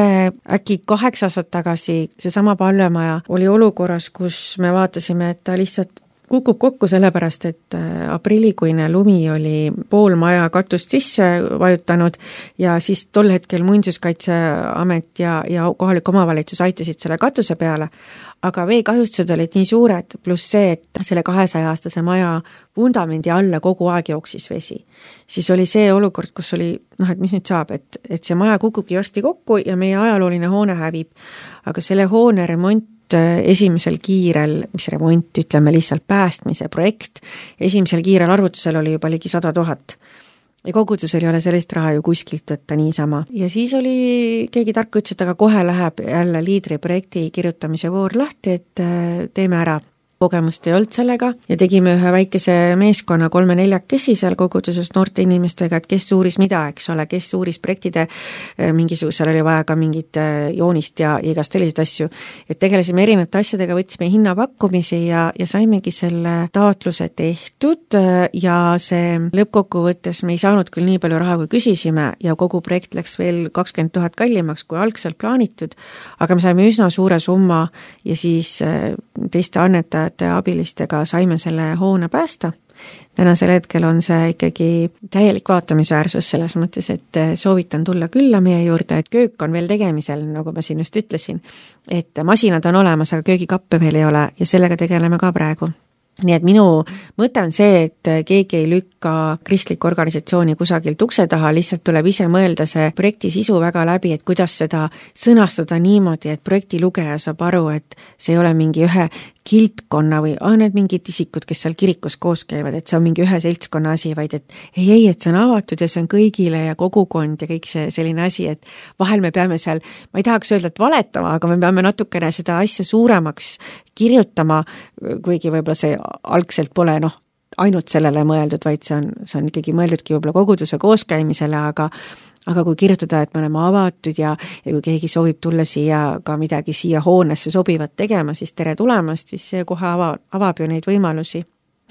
äkki kaheksa aastat tagasi, see sama palvemaja oli olukorras, kus me vaatasime, et ta lihtsalt kukub kokku sellepärast, et aprillikuine lumi oli pool maja katust sisse vajutanud ja siis tol hetkel Muinsuskaitseamet ja, ja kohalik omavalitsus aitasid selle katuse peale, aga veekahjustused olid nii suured, pluss see, et selle kahesaja aastase maja vundamendi alla kogu aeg jooksis vesi. Siis oli see olukord, kus oli, noh, et mis nüüd saab, et, et see maja kukubki varsti kokku ja meie ajalooline hoone hävib, aga selle hoone remont esimesel kiirel, mis remont, ütleme lihtsalt päästmise projekt, esimesel kiirel arvutusel oli juba ligi sada tuhat. Ja kogudusel ei ole sellist raha ju kuskilt võtta niisama. Ja siis oli, keegi tark ütles, et aga kohe läheb jälle liidriprojekti kirjutamise voor lahti, et teeme ära. Kogemust ei olnud sellega ja tegime ühe väikese meeskonna kolme-neljakesi seal koguduses noorte inimestega, et kes uuris mida, eks ole, kes uuris projektide mingisugusel oli vaja ka mingit joonist ja igast selliseid asju. Et tegelesime erinevate asjadega, võtsime hinnapakkumisi ja, ja saimegi selle taotluse tehtud ja see lõppkokkuvõttes me ei saanud küll nii palju raha, kui küsisime ja kogu projekt läks veel kakskümmend tuhat kallimaks, kui algselt plaanitud, aga me saime üsna suure summa ja siis teiste annetajate abilistega saime selle hoone päästa. Tänasel hetkel on see ikkagi täielik vaatamisväärsus selles mõttes, et soovitan tulla külla meie juurde, et köök on veel tegemisel, nagu ma siin just ütlesin, et masinad on olemas, aga köögikappe veel ei ole ja sellega tegeleme ka praegu. Nii et minu mõte on see, et keegi ei lükka kristlikku organisatsiooni kusagilt ukse taha, lihtsalt tuleb ise mõelda see projekti sisu väga läbi, et kuidas seda sõnastada niimoodi, et projekti lugeja saab aru, et see ei ole mingi ühe kiltkonna või ah, need mingid isikud, kes seal kirikus koos käivad, et see on mingi ühe seltskonna asi, vaid et ei, ei, et see on avatud ja see on kõigile ja kogukond ja kõik see selline asi, et vahel me peame seal, ma ei tahaks öelda, et valetama, aga me peame natukene seda asja suuremaks kirjutama, kuigi võib-olla see algselt pole noh, ainult sellele mõeldud, vaid see on, see on ikkagi mõeldudki võib-olla koguduse kooskäimisele, aga aga kui kirjutada, et me oleme avatud ja, ja kui keegi soovib tulla siia ka midagi siia hoonesse sobivat tegema, siis tere tulemast, siis see kohe ava, avab ju neid võimalusi.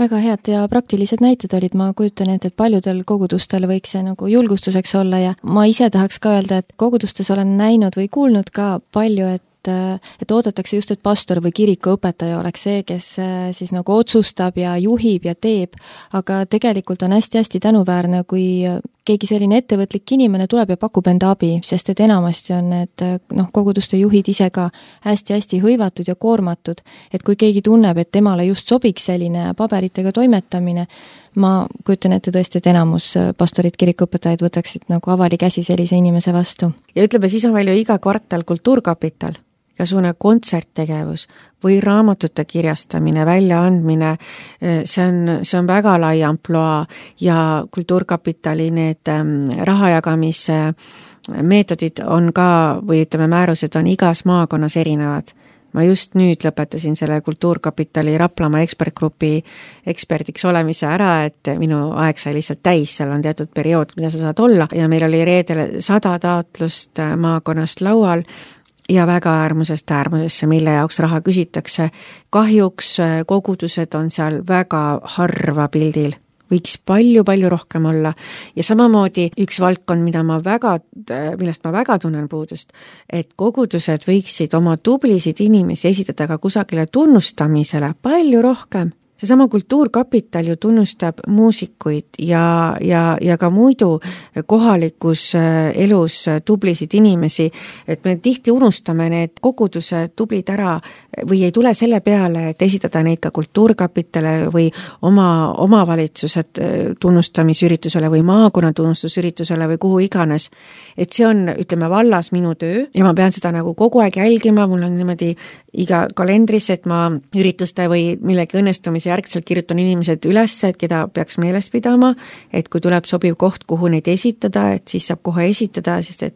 Väga head ja praktilised näited olid, ma kujutan ette, et paljudel kogudustel võiks see nagu julgustuseks olla ja ma ise tahaks ka öelda, et kogudustes olen näinud või kuulnud ka palju, et et oodatakse just, et pastor või kirikuõpetaja oleks see, kes siis nagu otsustab ja juhib ja teeb, aga tegelikult on hästi-hästi tänuväärne, kui keegi selline ettevõtlik inimene tuleb ja pakub enda abi, sest et enamasti on need noh, koguduste juhid ise ka hästi-hästi hõivatud ja koormatud, et kui keegi tunneb, et temale just sobiks selline paberitega toimetamine, ma kujutan ette tõesti, et enamus pastorid, kirikuõpetajad võtaksid nagu avali käsi sellise inimese vastu. Ja ütleme, siis on meil ju iga kvartal kultuurkapital, igasugune kontserttegevus või raamatute kirjastamine, väljaandmine, see on, see on väga lai amploa ja kultuurkapitali need rahajagamise meetodid on ka, või ütleme, määrused on igas maakonnas erinevad. Ma just nüüd lõpetasin selle kultuurkapitali Raplamaa ekspertgrupi eksperdiks olemise ära, et minu aeg sai lihtsalt täis, seal on teatud periood, mida sa saad olla ja meil oli reedel sada taotlust maakonnast laual ja väga äärmusest äärmusesse, mille jaoks raha küsitakse. Kahjuks kogudused on seal väga harva pildil, võiks palju-palju rohkem olla ja samamoodi üks valdkond, mida ma väga, millest ma väga tunnen puudust, et kogudused võiksid oma tublisid inimesi esitada ka kusagile tunnustamisele palju rohkem. Seesama kultuurkapital ju tunnustab muusikuid ja, ja, ja ka muidu kohalikus elus tublisid inimesi, et me tihti unustame need koguduse tublid ära või ei tule selle peale, et esitada neid ka kultuurkapitale või oma omavalitsused tunnustamisüritusele või maakonna tunnustusüritusele või kuhu iganes. Et see on, ütleme, vallas minu töö ja ma pean seda nagu kogu aeg jälgima, mul on niimoodi iga kalendris, et ma ürituste või millegi õnnestumise järgselt kirjutan inimesed üles, et keda peaks meeles pidama, et kui tuleb sobiv koht, kuhu neid esitada, et siis saab kohe esitada, sest et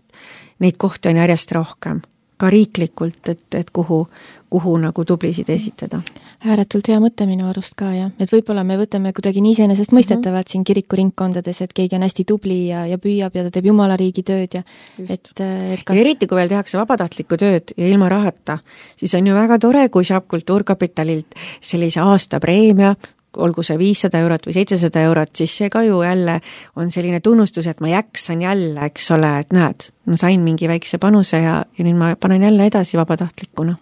neid kohti on järjest rohkem, ka riiklikult, et, et kuhu, kuhu nagu tublisid esitada. Ääretult hea mõte minu arust ka, jah. Et võib-olla me võtame kuidagi nii iseenesest mõistetavalt siin kirikuringkondades, et keegi on hästi tubli ja, ja püüab ja ta teeb jumala riigi tööd ja et, et kas... ja eriti, kui veel tehakse vabatahtlikku tööd ja ilma rahata, siis on ju väga tore, kui saab kultuurkapitalilt sellise aastapreemia, olgu see viissada eurot või seitsesada eurot, siis see ka ju jälle on selline tunnustus, et ma jaksan jälle, eks ole, et näed, ma sain mingi väikse panuse ja, ja nüüd ma panen jälle edasi vabatahtlikuna.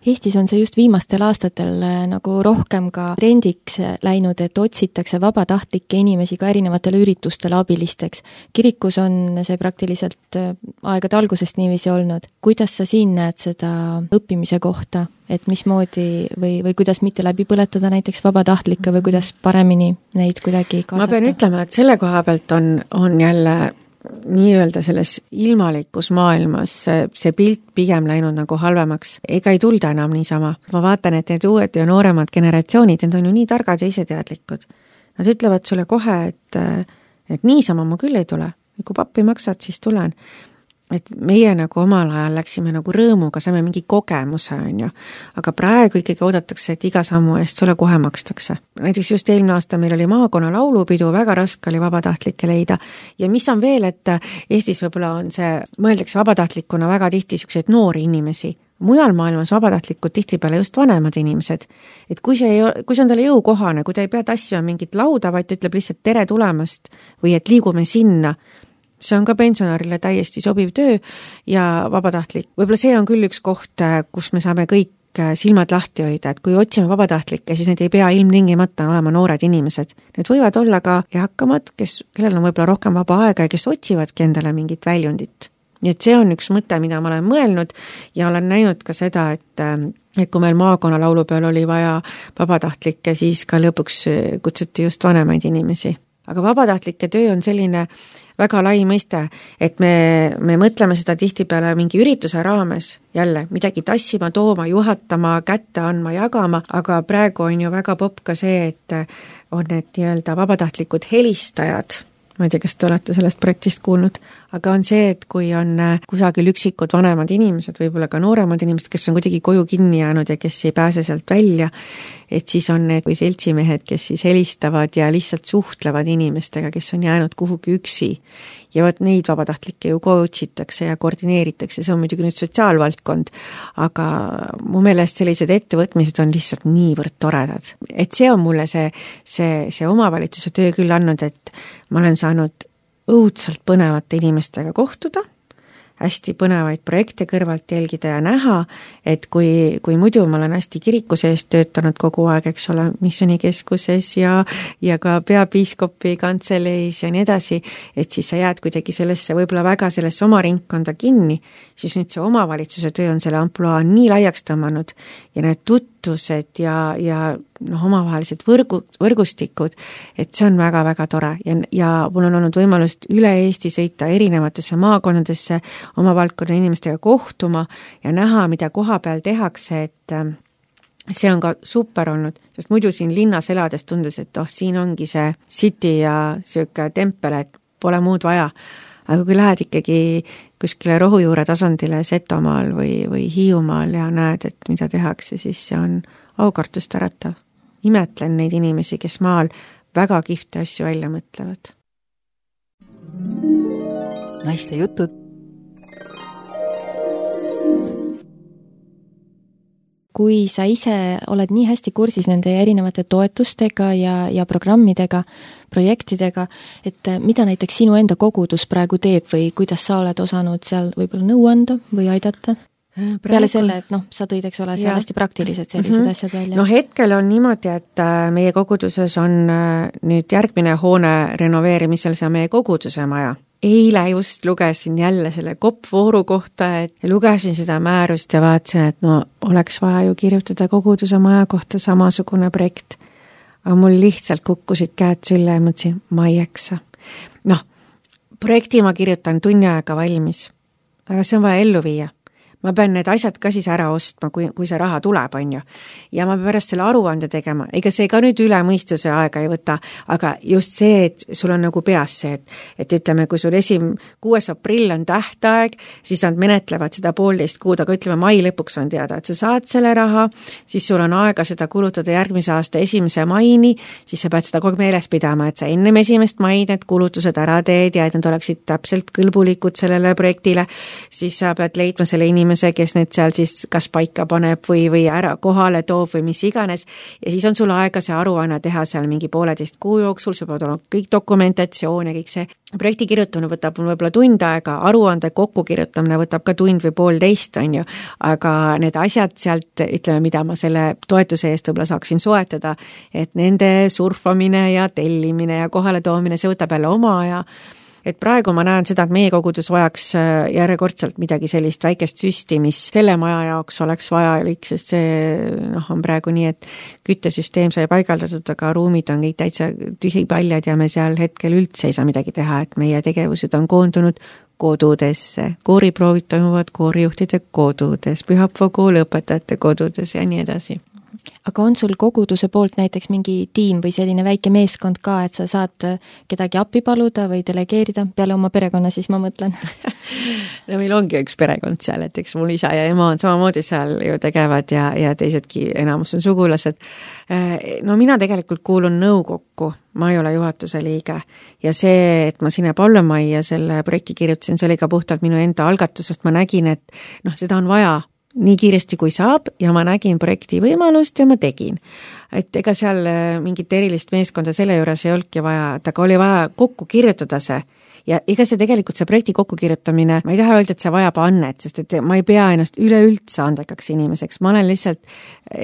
Eestis on see just viimastel aastatel nagu rohkem ka trendiks läinud, et otsitakse vabatahtlikke inimesi ka erinevatele üritustele abilisteks. Kirikus on see praktiliselt aegade algusest niiviisi olnud. Kuidas sa siin näed seda õppimise kohta, et mismoodi või, või kuidas mitte läbi põletada näiteks vabatahtlikke või kuidas paremini neid kuidagi kaasata? Ma pean ütlema, et selle koha pealt on, on jälle nii-öelda selles ilmalikus maailmas see, see pilt pigem läinud nagu halvemaks. Ega ei tulda enam niisama. Ma vaatan, et need uued ja nooremad generatsioonid, need on ju nii targad ja iseteadlikud. Nad ütlevad sulle kohe, et, et niisama ma küll ei tule. Kui pappi maksad, siis tulen. Et meie nagu omal ajal läksime nagu rõõmuga, saime mingi kogemuse, on ju. Aga praegu ikkagi oodatakse, et iga sammu eest sulle kohe makstakse. Näiteks just eelmine aasta meil oli maakonna laulupidu, väga raske oli vabatahtlikke leida. Ja mis on veel, et Eestis võib-olla on see, mõeldakse vabatahtlikuna väga tihti selliseid noori inimesi. Mujal maailmas vabatahtlikud tihtipeale just vanemad inimesed. Et kui see, ei, kui see on talle jõukohane, kui ta ei pea tassima mingit lauda, vaid ütleb lihtsalt tere tulemast või et liigume sinna, see on ka pensionärile täiesti sobiv töö ja vabatahtlik. Võib-olla see on küll üks koht, kus me saame kõik silmad lahti hoida, et kui otsime vabatahtlikke, siis need ei pea ilmtingimata olema noored inimesed. Need võivad olla ka eakamad, kes, kellel on võib-olla rohkem vaba aega ja kes otsivadki endale mingit väljundit. Nii et see on üks mõte, mida ma olen mõelnud ja olen näinud ka seda, et, et kui meil maakonna laulu peal oli vaja vabatahtlikke, siis ka lõpuks kutsuti just vanemaid inimesi. Aga vabatahtlike töö on selline väga lai mõiste, et me, me mõtleme seda tihtipeale mingi ürituse raames jälle midagi tassima, tooma, juhatama, kätte andma, jagama, aga praegu on ju väga popp ka see, et on need nii-öelda vabatahtlikud helistajad. Ma ei tea, kas te olete sellest projektist kuulnud, aga on see, et kui on kusagil üksikud vanemad inimesed, võib-olla ka nooremad inimesed, kes on kuidagi koju kinni jäänud ja kes ei pääse sealt välja, et siis on need kui seltsimehed, kes siis helistavad ja lihtsalt suhtlevad inimestega, kes on jäänud kuhugi üksi. Ja võt neid vabatahtlikke ju kootsitakse ja koordineeritakse, see on muidugi nüüd sotsiaalvaldkond, aga mu meelest sellised ettevõtmised on lihtsalt niivõrd toredad. Et see on mulle see, see, see omavalitsuse töö küll andnud, et ma olen saanud õudselt põnevate inimestega kohtuda, hästi põnevaid projekte kõrvalt jälgida ja näha, et kui, kui muidu ma olen hästi kiriku sees töötanud kogu aeg, eks ole, missionikeskuses ja, ja ka peapiiskopi kantseleis ja nii edasi, et siis sa jääd kuidagi sellesse, võib-olla väga sellesse oma ringkonda kinni, siis nüüd see omavalitsuse töö on selle amploa nii laiaks tõmmanud ja need tuttused ja, ja noh, omavahelised võrgu, võrgustikud, et see on väga-väga tore ja, ja mul on olnud võimalust üle Eesti sõita erinevatesse maakonnadesse oma valdkonna inimestega kohtuma ja näha, mida koha peal tehakse, et see on ka super olnud, sest muidu siin linnas elades tundus, et oh, siin ongi see city ja sööka tempel, et pole muud vaja. Aga kui lähed ikkagi kuskile rohujuure tasandile Setomaal või, või Hiiumaal ja näed, et mida tehakse, siis see on aukartust äratav. Imetlen neid inimesi, kes maal väga kihvte asju välja mõtlevad. Naiste jutud. Kui sa ise oled nii hästi kursis nende erinevate toetustega ja, ja programmidega, projektidega, et mida näiteks sinu enda kogudus praegu teeb või kuidas sa oled osanud seal võib-olla nõu anda või aidata? Praegu... Peale selle, et noh, sa tõid, eks ole, seal hästi praktilised sellised mm-hmm. asjad välja. No hetkel on niimoodi, et meie koguduses on nüüd järgmine hoone renoveerimisel, see on meie koguduse maja. Eile just lugesin jälle selle koppvooru kohta, et lugesin seda määrust ja vaatasin, et no oleks vaja ju kirjutada koguduse maja kohta samasugune projekt. Aga mul lihtsalt kukkusid käed sülle ja mõtlesin, ma ei jaksa. Noh, projekti ma kirjutan tunni aega valmis, aga see on vaja ellu viia. Ma pean need asjad ka siis ära ostma, kui, kui see raha tuleb, on ju. Ja ma pean pärast selle aruande tegema. Ega see ka nüüd üle mõistuse aega ei võta, aga just see, et sul on nagu peas see, et, et ütleme, kui sul esim kuues aprill on tähtaeg, siis nad menetlevad seda poolteist kuud, aga ütleme, mai lõpuks on teada, et sa saad selle raha, siis sul on aega seda kulutada järgmise aasta esimese maini, siis sa pead seda kogu meeles pidama, et sa ennem esimest maid need kulutused ära teed ja et nad oleksid täpselt kõlbulikud sellele projektile, siis sa pead leidma selle inimese inimese, kes need seal siis kas paika paneb või, või ära kohale toob või mis iganes, ja siis on sul aega see aruanne teha seal mingi pooleteist kuu jooksul, see peab olema kõik dokumentatsioon ja kõik see. Projekti kirjutamine võtab võib-olla tund aega, aruande kokku kirjutamine võtab ka tund või poolteist, on ju, aga need asjad sealt, ütleme, mida ma selle toetuse eest võib-olla saaksin soetada, et nende surfamine ja tellimine ja kohale toomine, see võtab jälle oma aja. Et praegu ma näen seda, et meie kogudus vajaks järjekordselt midagi sellist väikest süsti, mis selle maja jaoks oleks vajalik, sest see noh, on praegu nii, et küttesüsteem sai paigaldatud, aga ruumid on kõik täitsa tühipaljad ja me seal hetkel üldse ei saa midagi teha, et meie tegevused on koondunud kodudesse, kooriproovid toimuvad koorijuhtide kodudes, pühapäeva kooli õpetajate kodudes ja nii edasi. Aga on sul koguduse poolt näiteks mingi tiim või selline väike meeskond ka, et sa saad kedagi appi paluda või delegeerida peale oma perekonna, siis ma mõtlen? No meil ongi üks perekond seal, et eks mul isa ja ema on samamoodi seal ju tegevad ja, ja teisedki enamus on sugulased. No mina tegelikult kuulun nõukokku, ma ei ole juhatuse liige ja see, et ma sinna Paulumajja selle projekti kirjutasin, see oli ka puhtalt minu enda algatusest, ma nägin, et noh, seda on vaja nii kiiresti kui saab ja ma nägin projekti võimalust ja ma tegin. Et ega seal mingit erilist meeskonda selle juures ei olnudki vaja, et aga oli vaja kokku kirjutada see. Ja ega see tegelikult see projekti kokkukirjutamine, ma ei taha öelda, et see vajab annet, sest et ma ei pea ennast üleüldse andekaks inimeseks. Ma olen lihtsalt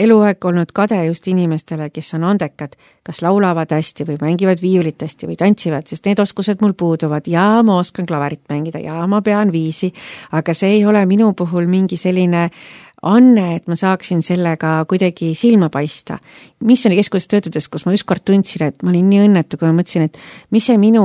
eluaeg olnud kade just inimestele, kes on andekad, kas laulavad hästi või mängivad viiulit hästi või tantsivad, sest need oskused mul puuduvad ja ma oskan klaverit mängida ja ma pean viisi, aga see ei ole minu puhul mingi selline anne, et ma saaksin sellega kuidagi silma paista. Missioni keskuses töötades, kus ma ükskord tundsin, et ma olin nii õnnetu, kui ma mõtlesin, et mis see minu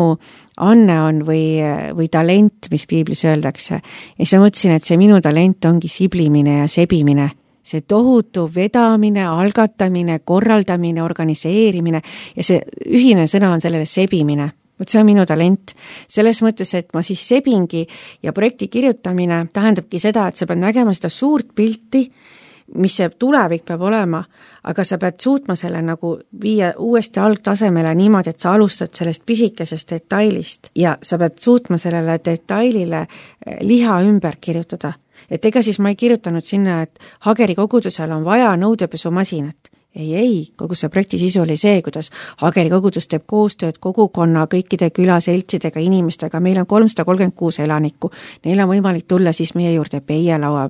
anne on või, või talent, mis piiblis öeldakse. Ja siis ma mõtlesin, et see minu talent ongi siblimine ja sebimine. See tohutu vedamine, algatamine, korraldamine, organiseerimine ja see ühine sõna on sellele sebimine. Võt see on minu talent. Selles mõttes, et ma siis sebingi ja projekti kirjutamine tähendabki seda, et sa pead nägema seda suurt pilti, mis see tulevik peab olema, aga sa pead suutma selle nagu viia uuesti algtasemele niimoodi, et sa alustad sellest pisikesest detailist ja sa pead suutma sellele detailile liha ümber kirjutada. Et ega siis ma ei kirjutanud sinna, et Hageri kogudusel on vaja nõudepesumasinat. Ei, ei, kogu see projekti sisu oli see, kuidas Hageri kogudus teeb koostööd kogukonna, kõikide külaseltsidega, inimestega, meil on kolmsada kolmkümmend kuus elanikku, neil on võimalik tulla siis meie juurde peie laua,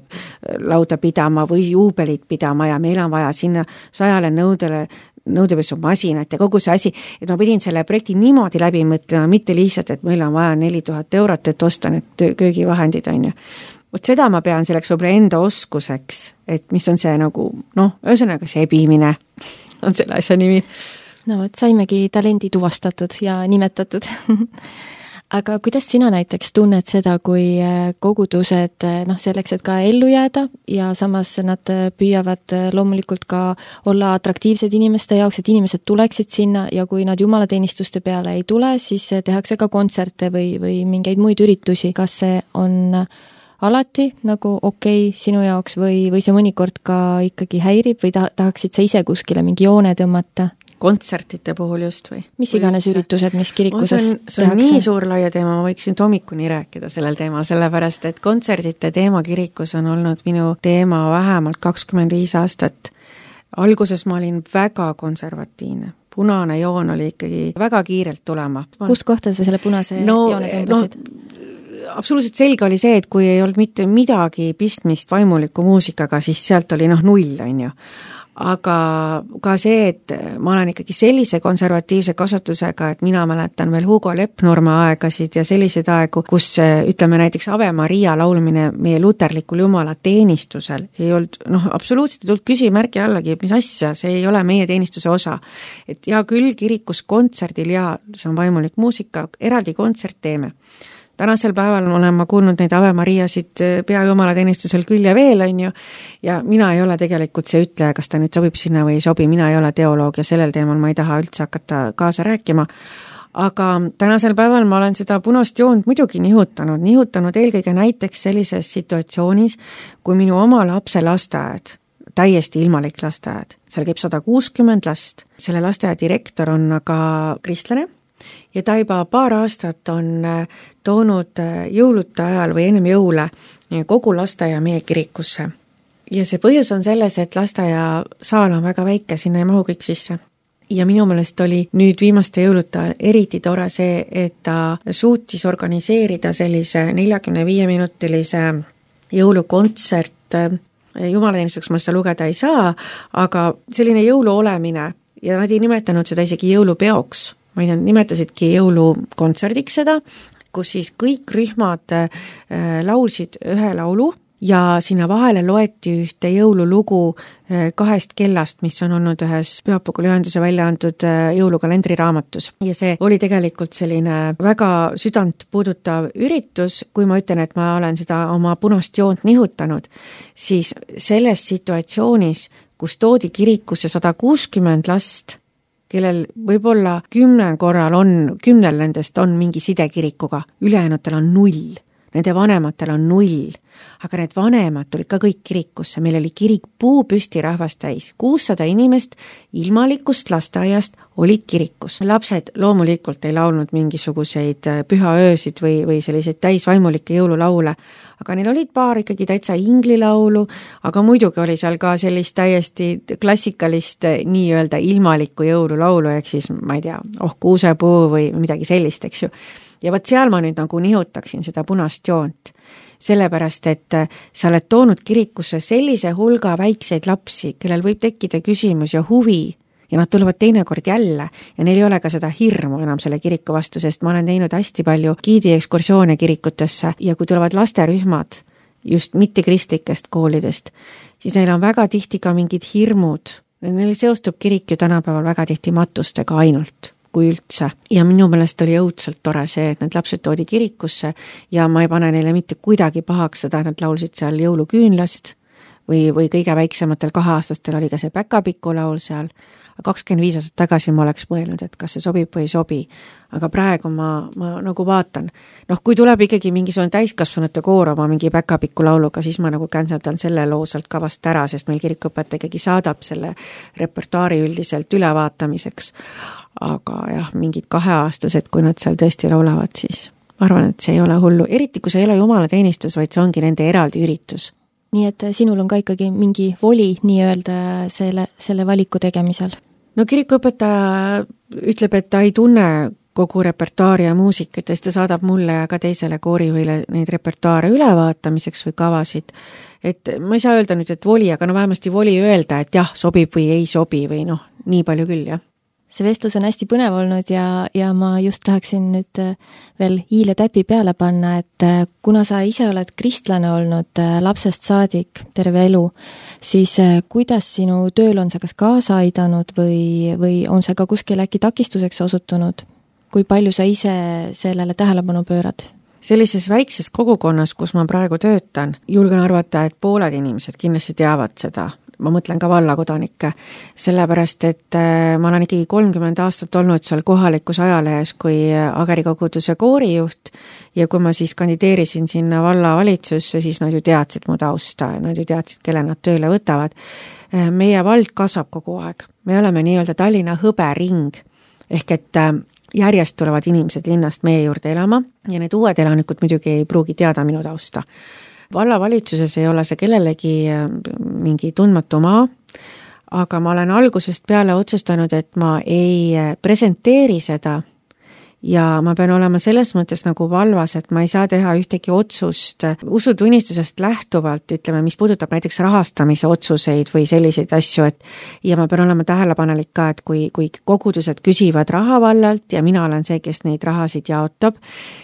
lauda pidama või juubelit pidama ja meil on vaja sinna sajale nõudele nõudepesumasinat ja kogu see asi, et ma pidin selle projekti niimoodi läbi mõtlema, mitte lihtsalt, et meil on vaja neli tuhat eurot, et osta need köögivahendid, on ju. Võt seda ma pean selleks võib-olla enda oskuseks, et mis on see nagu, noh, ühesõnaga sebimine on selle asja nimi. No võt, saimegi talendi tuvastatud ja nimetatud. Aga kuidas sina näiteks tunned seda, kui kogudused noh, selleks, et ka ellu jääda ja samas nad püüavad loomulikult ka olla atraktiivsed inimeste jaoks, et inimesed tuleksid sinna ja kui nad jumalateenistuste peale ei tule, siis tehakse ka kontserte või, või mingeid muid üritusi. Kas see on alati nagu okei okay sinu jaoks või, või see mõnikord ka ikkagi häirib või ta, tahaksid sa ise kuskile mingi joone tõmmata? Kontsertide puhul just või? Mis iganes või üritused, mis kirikuses see on, see on tehakse? nii suur laia teema, ma võiksin hommikuni rääkida sellel teemal, sellepärast et kontserdite teema kirikus on olnud minu teema vähemalt kakskümmend viis aastat. Alguses ma olin väga konservatiivne. Punane joon oli ikkagi väga kiirelt tulema. Kust kohta sa selle punase no, joone tõmbasid? No, absoluutselt selge oli see, et kui ei olnud mitte midagi pistmist vaimuliku muusikaga, siis sealt oli noh null, on ju. Aga ka see, et ma olen ikkagi sellise konservatiivse kasvatusega, et mina mäletan veel Hugo Lepnurma aegasid ja selliseid aegu, kus ütleme näiteks Ave Maria laulmine meie luterlikul jumala teenistusel ei olnud, noh, absoluutselt ei tulnud küsimärgi allagi, mis asja, see ei ole meie teenistuse osa. Et ja küll kirikus kontserdil ja see on vaimulik muusika, eraldi kontsert teeme. Tänasel päeval olen ma kuulnud neid Ave Mariasid pea jumala teenistusel küll ja veel, on ju, ja mina ei ole tegelikult see ütleja, kas ta nüüd sobib sinna või ei sobi, mina ei ole teoloog ja sellel teemal ma ei taha üldse hakata kaasa rääkima, aga tänasel päeval ma olen seda punast joont muidugi nihutanud, nihutanud eelkõige näiteks sellises situatsioonis, kui minu oma lapse lasteaed, täiesti ilmalik lasteaed, seal käib sada kuuskümmend last, selle lasteaia direktor on aga kristlane, ja ta juba paar aastat on toonud jõulude ajal või ennem jõule kogu lasteaia meie kirikusse. Ja see põhjus on selles, et lasteaia saal on väga väike, sinna ei mahu kõik sisse. Ja minu meelest oli nüüd viimaste jõulude ajal eriti tore see, et ta suutis organiseerida sellise neljakümne viie minutilise jõulukontsert. Jumalateenistuseks ma seda lugeda ei saa, aga selline jõulu olemine ja nad ei nimetanud seda isegi jõulupeoks. Ma ei nimetasidki jõulukontserdiks seda, kus siis kõik rühmad laulsid ühe laulu ja sinna vahele loeti ühte jõululugu kahest kellast, mis on olnud ühes Pühapäeva ühenduse välja antud jõulukalendri raamatus. Ja see oli tegelikult selline väga südant puudutav üritus, kui ma ütlen, et ma olen seda oma punast joont nihutanud, siis selles situatsioonis, kus toodi kirikusse sada kuuskümmend last, kellel võib-olla kümnel korral on, kümnel nendest on mingi side kirikuga, ülejäänutel on null. Nende vanematel on null, aga need vanemad tulid ka kõik kirikusse, meil oli kirik puu püsti rahvast täis, kuussada inimest ilmalikust lasteaiast olid kirikus. Lapsed loomulikult ei laulnud mingisuguseid pühaöösid või, või selliseid täisvaimulikke jõululaule, aga neil olid paar ikkagi täitsa inglilaulu, aga muidugi oli seal ka sellist täiesti klassikalist nii-öelda ilmalikku jõululaulu, ehk siis ma ei tea, oh kuusepuu või midagi sellist, eks ju. Ja võt seal ma nüüd nagu nihutaksin seda punast joont, sellepärast, et sa oled toonud kirikusse sellise hulga väikseid lapsi, kellel võib tekkida küsimus ja huvi ja nad tulevad teinekord jälle ja neil ei ole ka seda hirmu enam selle kiriku vastu, sest ma olen teinud hästi palju giidiekskursioone kirikutesse ja kui tulevad lasterühmad just mitte kristlikest koolidest, siis neil on väga tihti ka mingid hirmud. Neil seostub kirik ju tänapäeval väga tihti matustega ainult kui üldse. Ja minu meelest oli õudselt tore see, et need lapsed toodi kirikusse ja ma ei pane neile mitte kuidagi pahaks seda, nad laulsid seal jõuluküünlast või, või kõige väiksematel kaheaastastel oli ka see päkapiku laul seal. kakskümmend viis aastat tagasi ma oleks mõelnud, et kas see sobib või ei sobi, aga praegu ma, ma nagu vaatan. Noh, kui tuleb ikkagi mingisugune täiskasvanute koor oma mingi päkapiku lauluga, siis ma nagu känseldan selle loo sealt kavast ära, sest meil kirikuõpetaja ikkagi saadab selle repertuaari üldiselt ülevaatamiseks. Aga jah, mingid kaheaastased, kui nad seal tõesti laulavad, siis ma arvan, et see ei ole hullu. Eriti, kui see ei ole jumalateenistus, vaid see ongi nende eraldi üritus. Nii et sinul on ka ikkagi mingi voli nii-öelda selle, selle valiku tegemisel? No kirikuõpetaja ütleb, et ta ei tunne kogu repertuaari ja muusikat ja siis ta saadab mulle ja ka teisele koorijuhile neid repertuaare ülevaatamiseks või kavasid. Et ma ei saa öelda nüüd, et voli, aga no vähemasti voli öelda, et jah, sobib või ei sobi või noh, nii palju küll, jah. See vestlus on hästi põnev olnud ja, ja ma just tahaksin nüüd veel hiile täpi peale panna, et kuna sa ise oled kristlane olnud lapsest saadik terve elu, siis kuidas sinu tööl on see kas kaasa aidanud või, või on see ka kuskil äkki takistuseks osutunud? Kui palju sa ise sellele tähelepanu pöörad? Sellises väikses kogukonnas, kus ma praegu töötan, julgen arvata, et pooled inimesed kindlasti teavad seda. Ma mõtlen ka vallakodanikke, sellepärast, et ma olen ikkagi kolmkümmend aastat olnud seal kohalikus ajalehes kui Ageri koguduse koorijuht ja kui ma siis kandideerisin sinna valla valitsusse, siis nad ju teadsid mu tausta, nad ju teadsid, kelle nad tööle võtavad. Meie vald kasvab kogu aeg. Me oleme nii-öelda Tallinna hõbering, ehk et järjest tulevad inimesed linnast meie juurde elama ja need uued elanikud muidugi ei pruugi teada minu tausta. Vallavalitsuses ei ole see kellelegi mingi tundmatu maa, aga ma olen algusest peale otsustanud, et ma ei presenteeri seda ja ma pean olema selles mõttes nagu valvas, et ma ei saa teha ühtegi otsust usutunnistusest lähtuvalt, ütleme, mis puudutab näiteks rahastamise otsuseid või selliseid asju, et ja ma pean olema tähelepanelik ka, et kui, kui kogudused küsivad raha vallalt ja mina olen see, kes neid rahasid jaotab,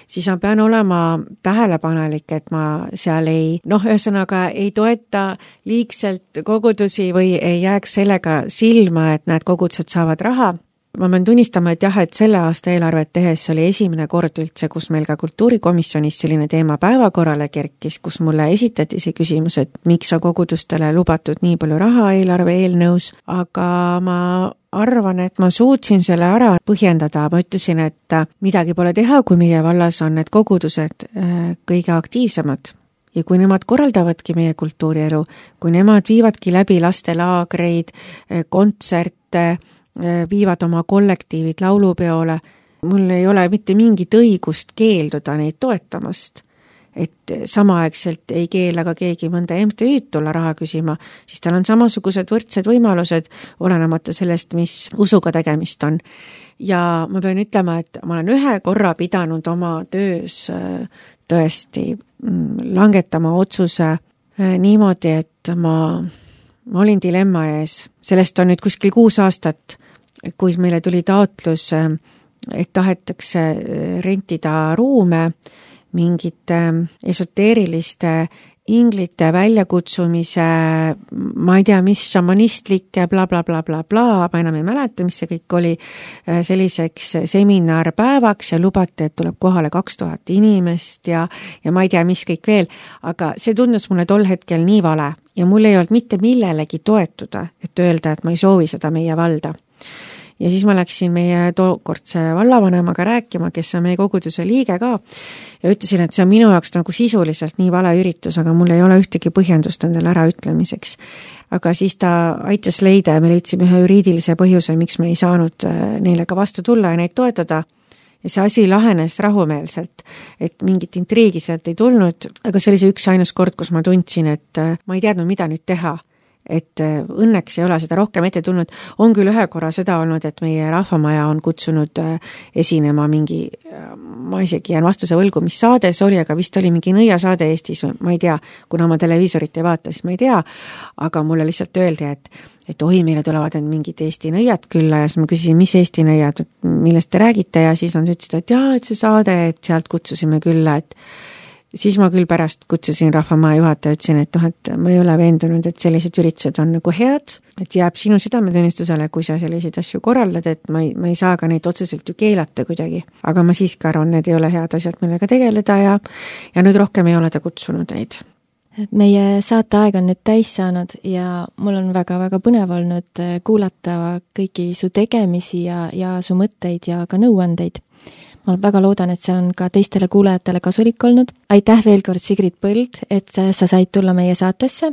siis ma pean olema tähelepanelik, et ma seal ei, noh, ühesõnaga ei toeta liigselt kogudusi või ei jääks sellega silma, et need kogudused saavad raha. Ma pean tunnistama, et jah, et selle aasta eelarvet tehes oli esimene kord üldse, kus meil ka kultuurikomisjonis selline teema päevakorrale kerkis, kus mulle esitati see küsimus, et miks on kogudustele lubatud nii palju raha eelarve eelnõus, aga ma arvan, et ma suutsin selle ära põhjendada, ma ütlesin, et midagi pole teha, kui meie vallas on need kogudused kõige aktiivsemad. Ja kui nemad korraldavadki meie kultuurielu, kui nemad viivadki läbi lastelaagreid, kontserte, viivad oma kollektiivid laulupeole, mul ei ole mitte mingit õigust keelduda neid toetamast. Et samaaegselt ei keela ka keegi mõnda M T Ü'd tulla raha küsima, siis tal on samasugused võrdsed võimalused, olenemata sellest, mis usuga tegemist on. Ja ma pean ütlema, et ma olen ühe korra pidanud oma töös tõesti langetama otsuse niimoodi, et ma, ma olin dilemma ees. Sellest on nüüd kuskil kuus aastat, kui meile tuli taotlus, et tahetakse rentida ruume mingite esoteeriliste inglite väljakutsumise, ma ei tea, mis šamanistlikke bla bla bla bla bla, ma enam ei mäleta, mis see kõik oli, selliseks seminarpäevaks ja lubati, et tuleb kohale kaks tuhat inimest ja, ja ma ei tea, mis kõik veel, aga see tundus mulle tol hetkel nii vale ja mul ei olnud mitte millelegi toetuda, et öelda, et ma ei soovi seda meie valda. Ja siis ma läksin meie tookordse vallavanemaga rääkima, kes on meie koguduse liige ka, ja ütlesin, et see on minu jaoks nagu sisuliselt nii vale üritus, aga mul ei ole ühtegi põhjendust endale ära ütlemiseks. Aga siis ta aitas leida ja me leidsime ühe juriidilise põhjuse, miks me ei saanud neile ka vastu tulla ja neid toetada. Ja see asi lahenes rahumeelselt, et mingit intriigi sealt ei tulnud, aga see oli see üks ainus kord, kus ma tundsin, et ma ei teadnud, mida nüüd teha. Et õnneks ei ole seda rohkem ette tulnud. On küll ühe korra seda olnud, et meie rahvamaja on kutsunud esinema mingi, ma isegi jään vastuse võlgu, mis saade see oli, aga vist oli mingi nõiasaade Eestis, ma ei tea, kuna ma televiisorit ei vaata, siis ma ei tea, aga mulle lihtsalt öeldi, et, et oi, meile tulevad mingid Eesti nõiad külla ja siis ma küsisin, mis Eesti nõiad, millest te räägite ja siis nad ütlesid, et jaa, et see saade, et sealt kutsusime külla, et siis ma küll pärast kutsusin rahvamaja juhataja, ütlesin, et noh, et ma ei ole veendunud, et sellised üritused on nagu head, et jääb sinu südametunnistusele, kui sa selliseid asju korraldad, et ma ei, ma ei saa ka neid otseselt ju keelata kuidagi. Aga ma siiski arvan, need ei ole head asjad, millega tegeleda ja, ja nüüd rohkem ei ole ta kutsunud neid. Meie saateaeg on nüüd täis saanud ja mul on väga-väga põnev olnud kuulata kõiki su tegemisi ja, ja su mõtteid ja ka nõuandeid. Ma väga loodan, et see on ka teistele kuulajatele kasulik olnud. Aitäh veel kord, Sigrid Põld, et sa said tulla meie saatesse.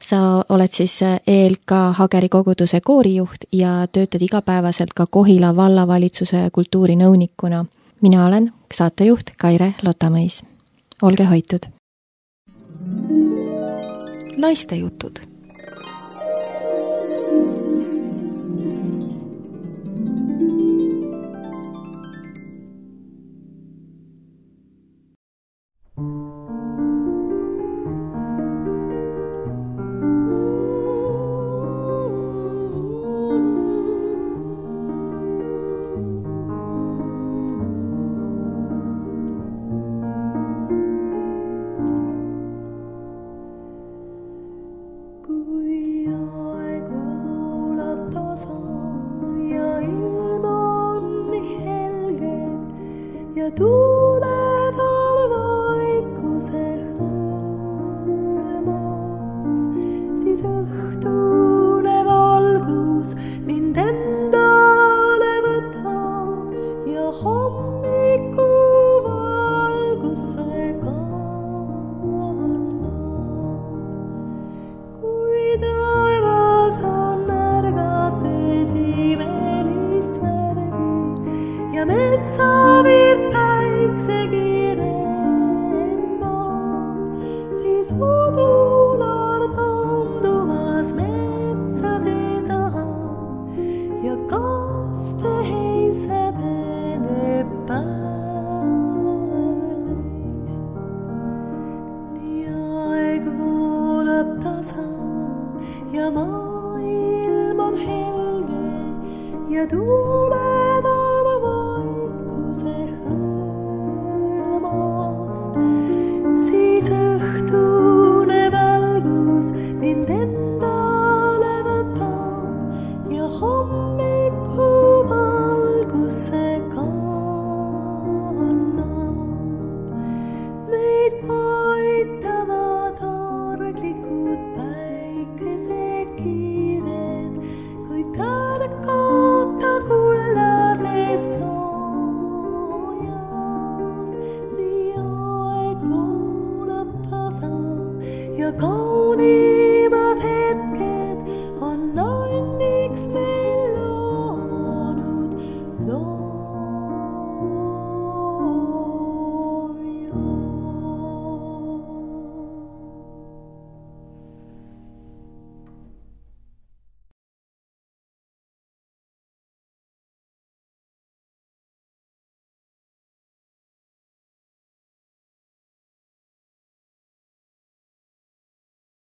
Sa oled siis E L K Hageri koguduse koorijuht ja töötad igapäevaselt ka Kohila vallavalitsuse kultuurinõunikuna. Mina olen saatejuht Kaire Lotamõis. Olge hoitud! Naiste jutud. Metsa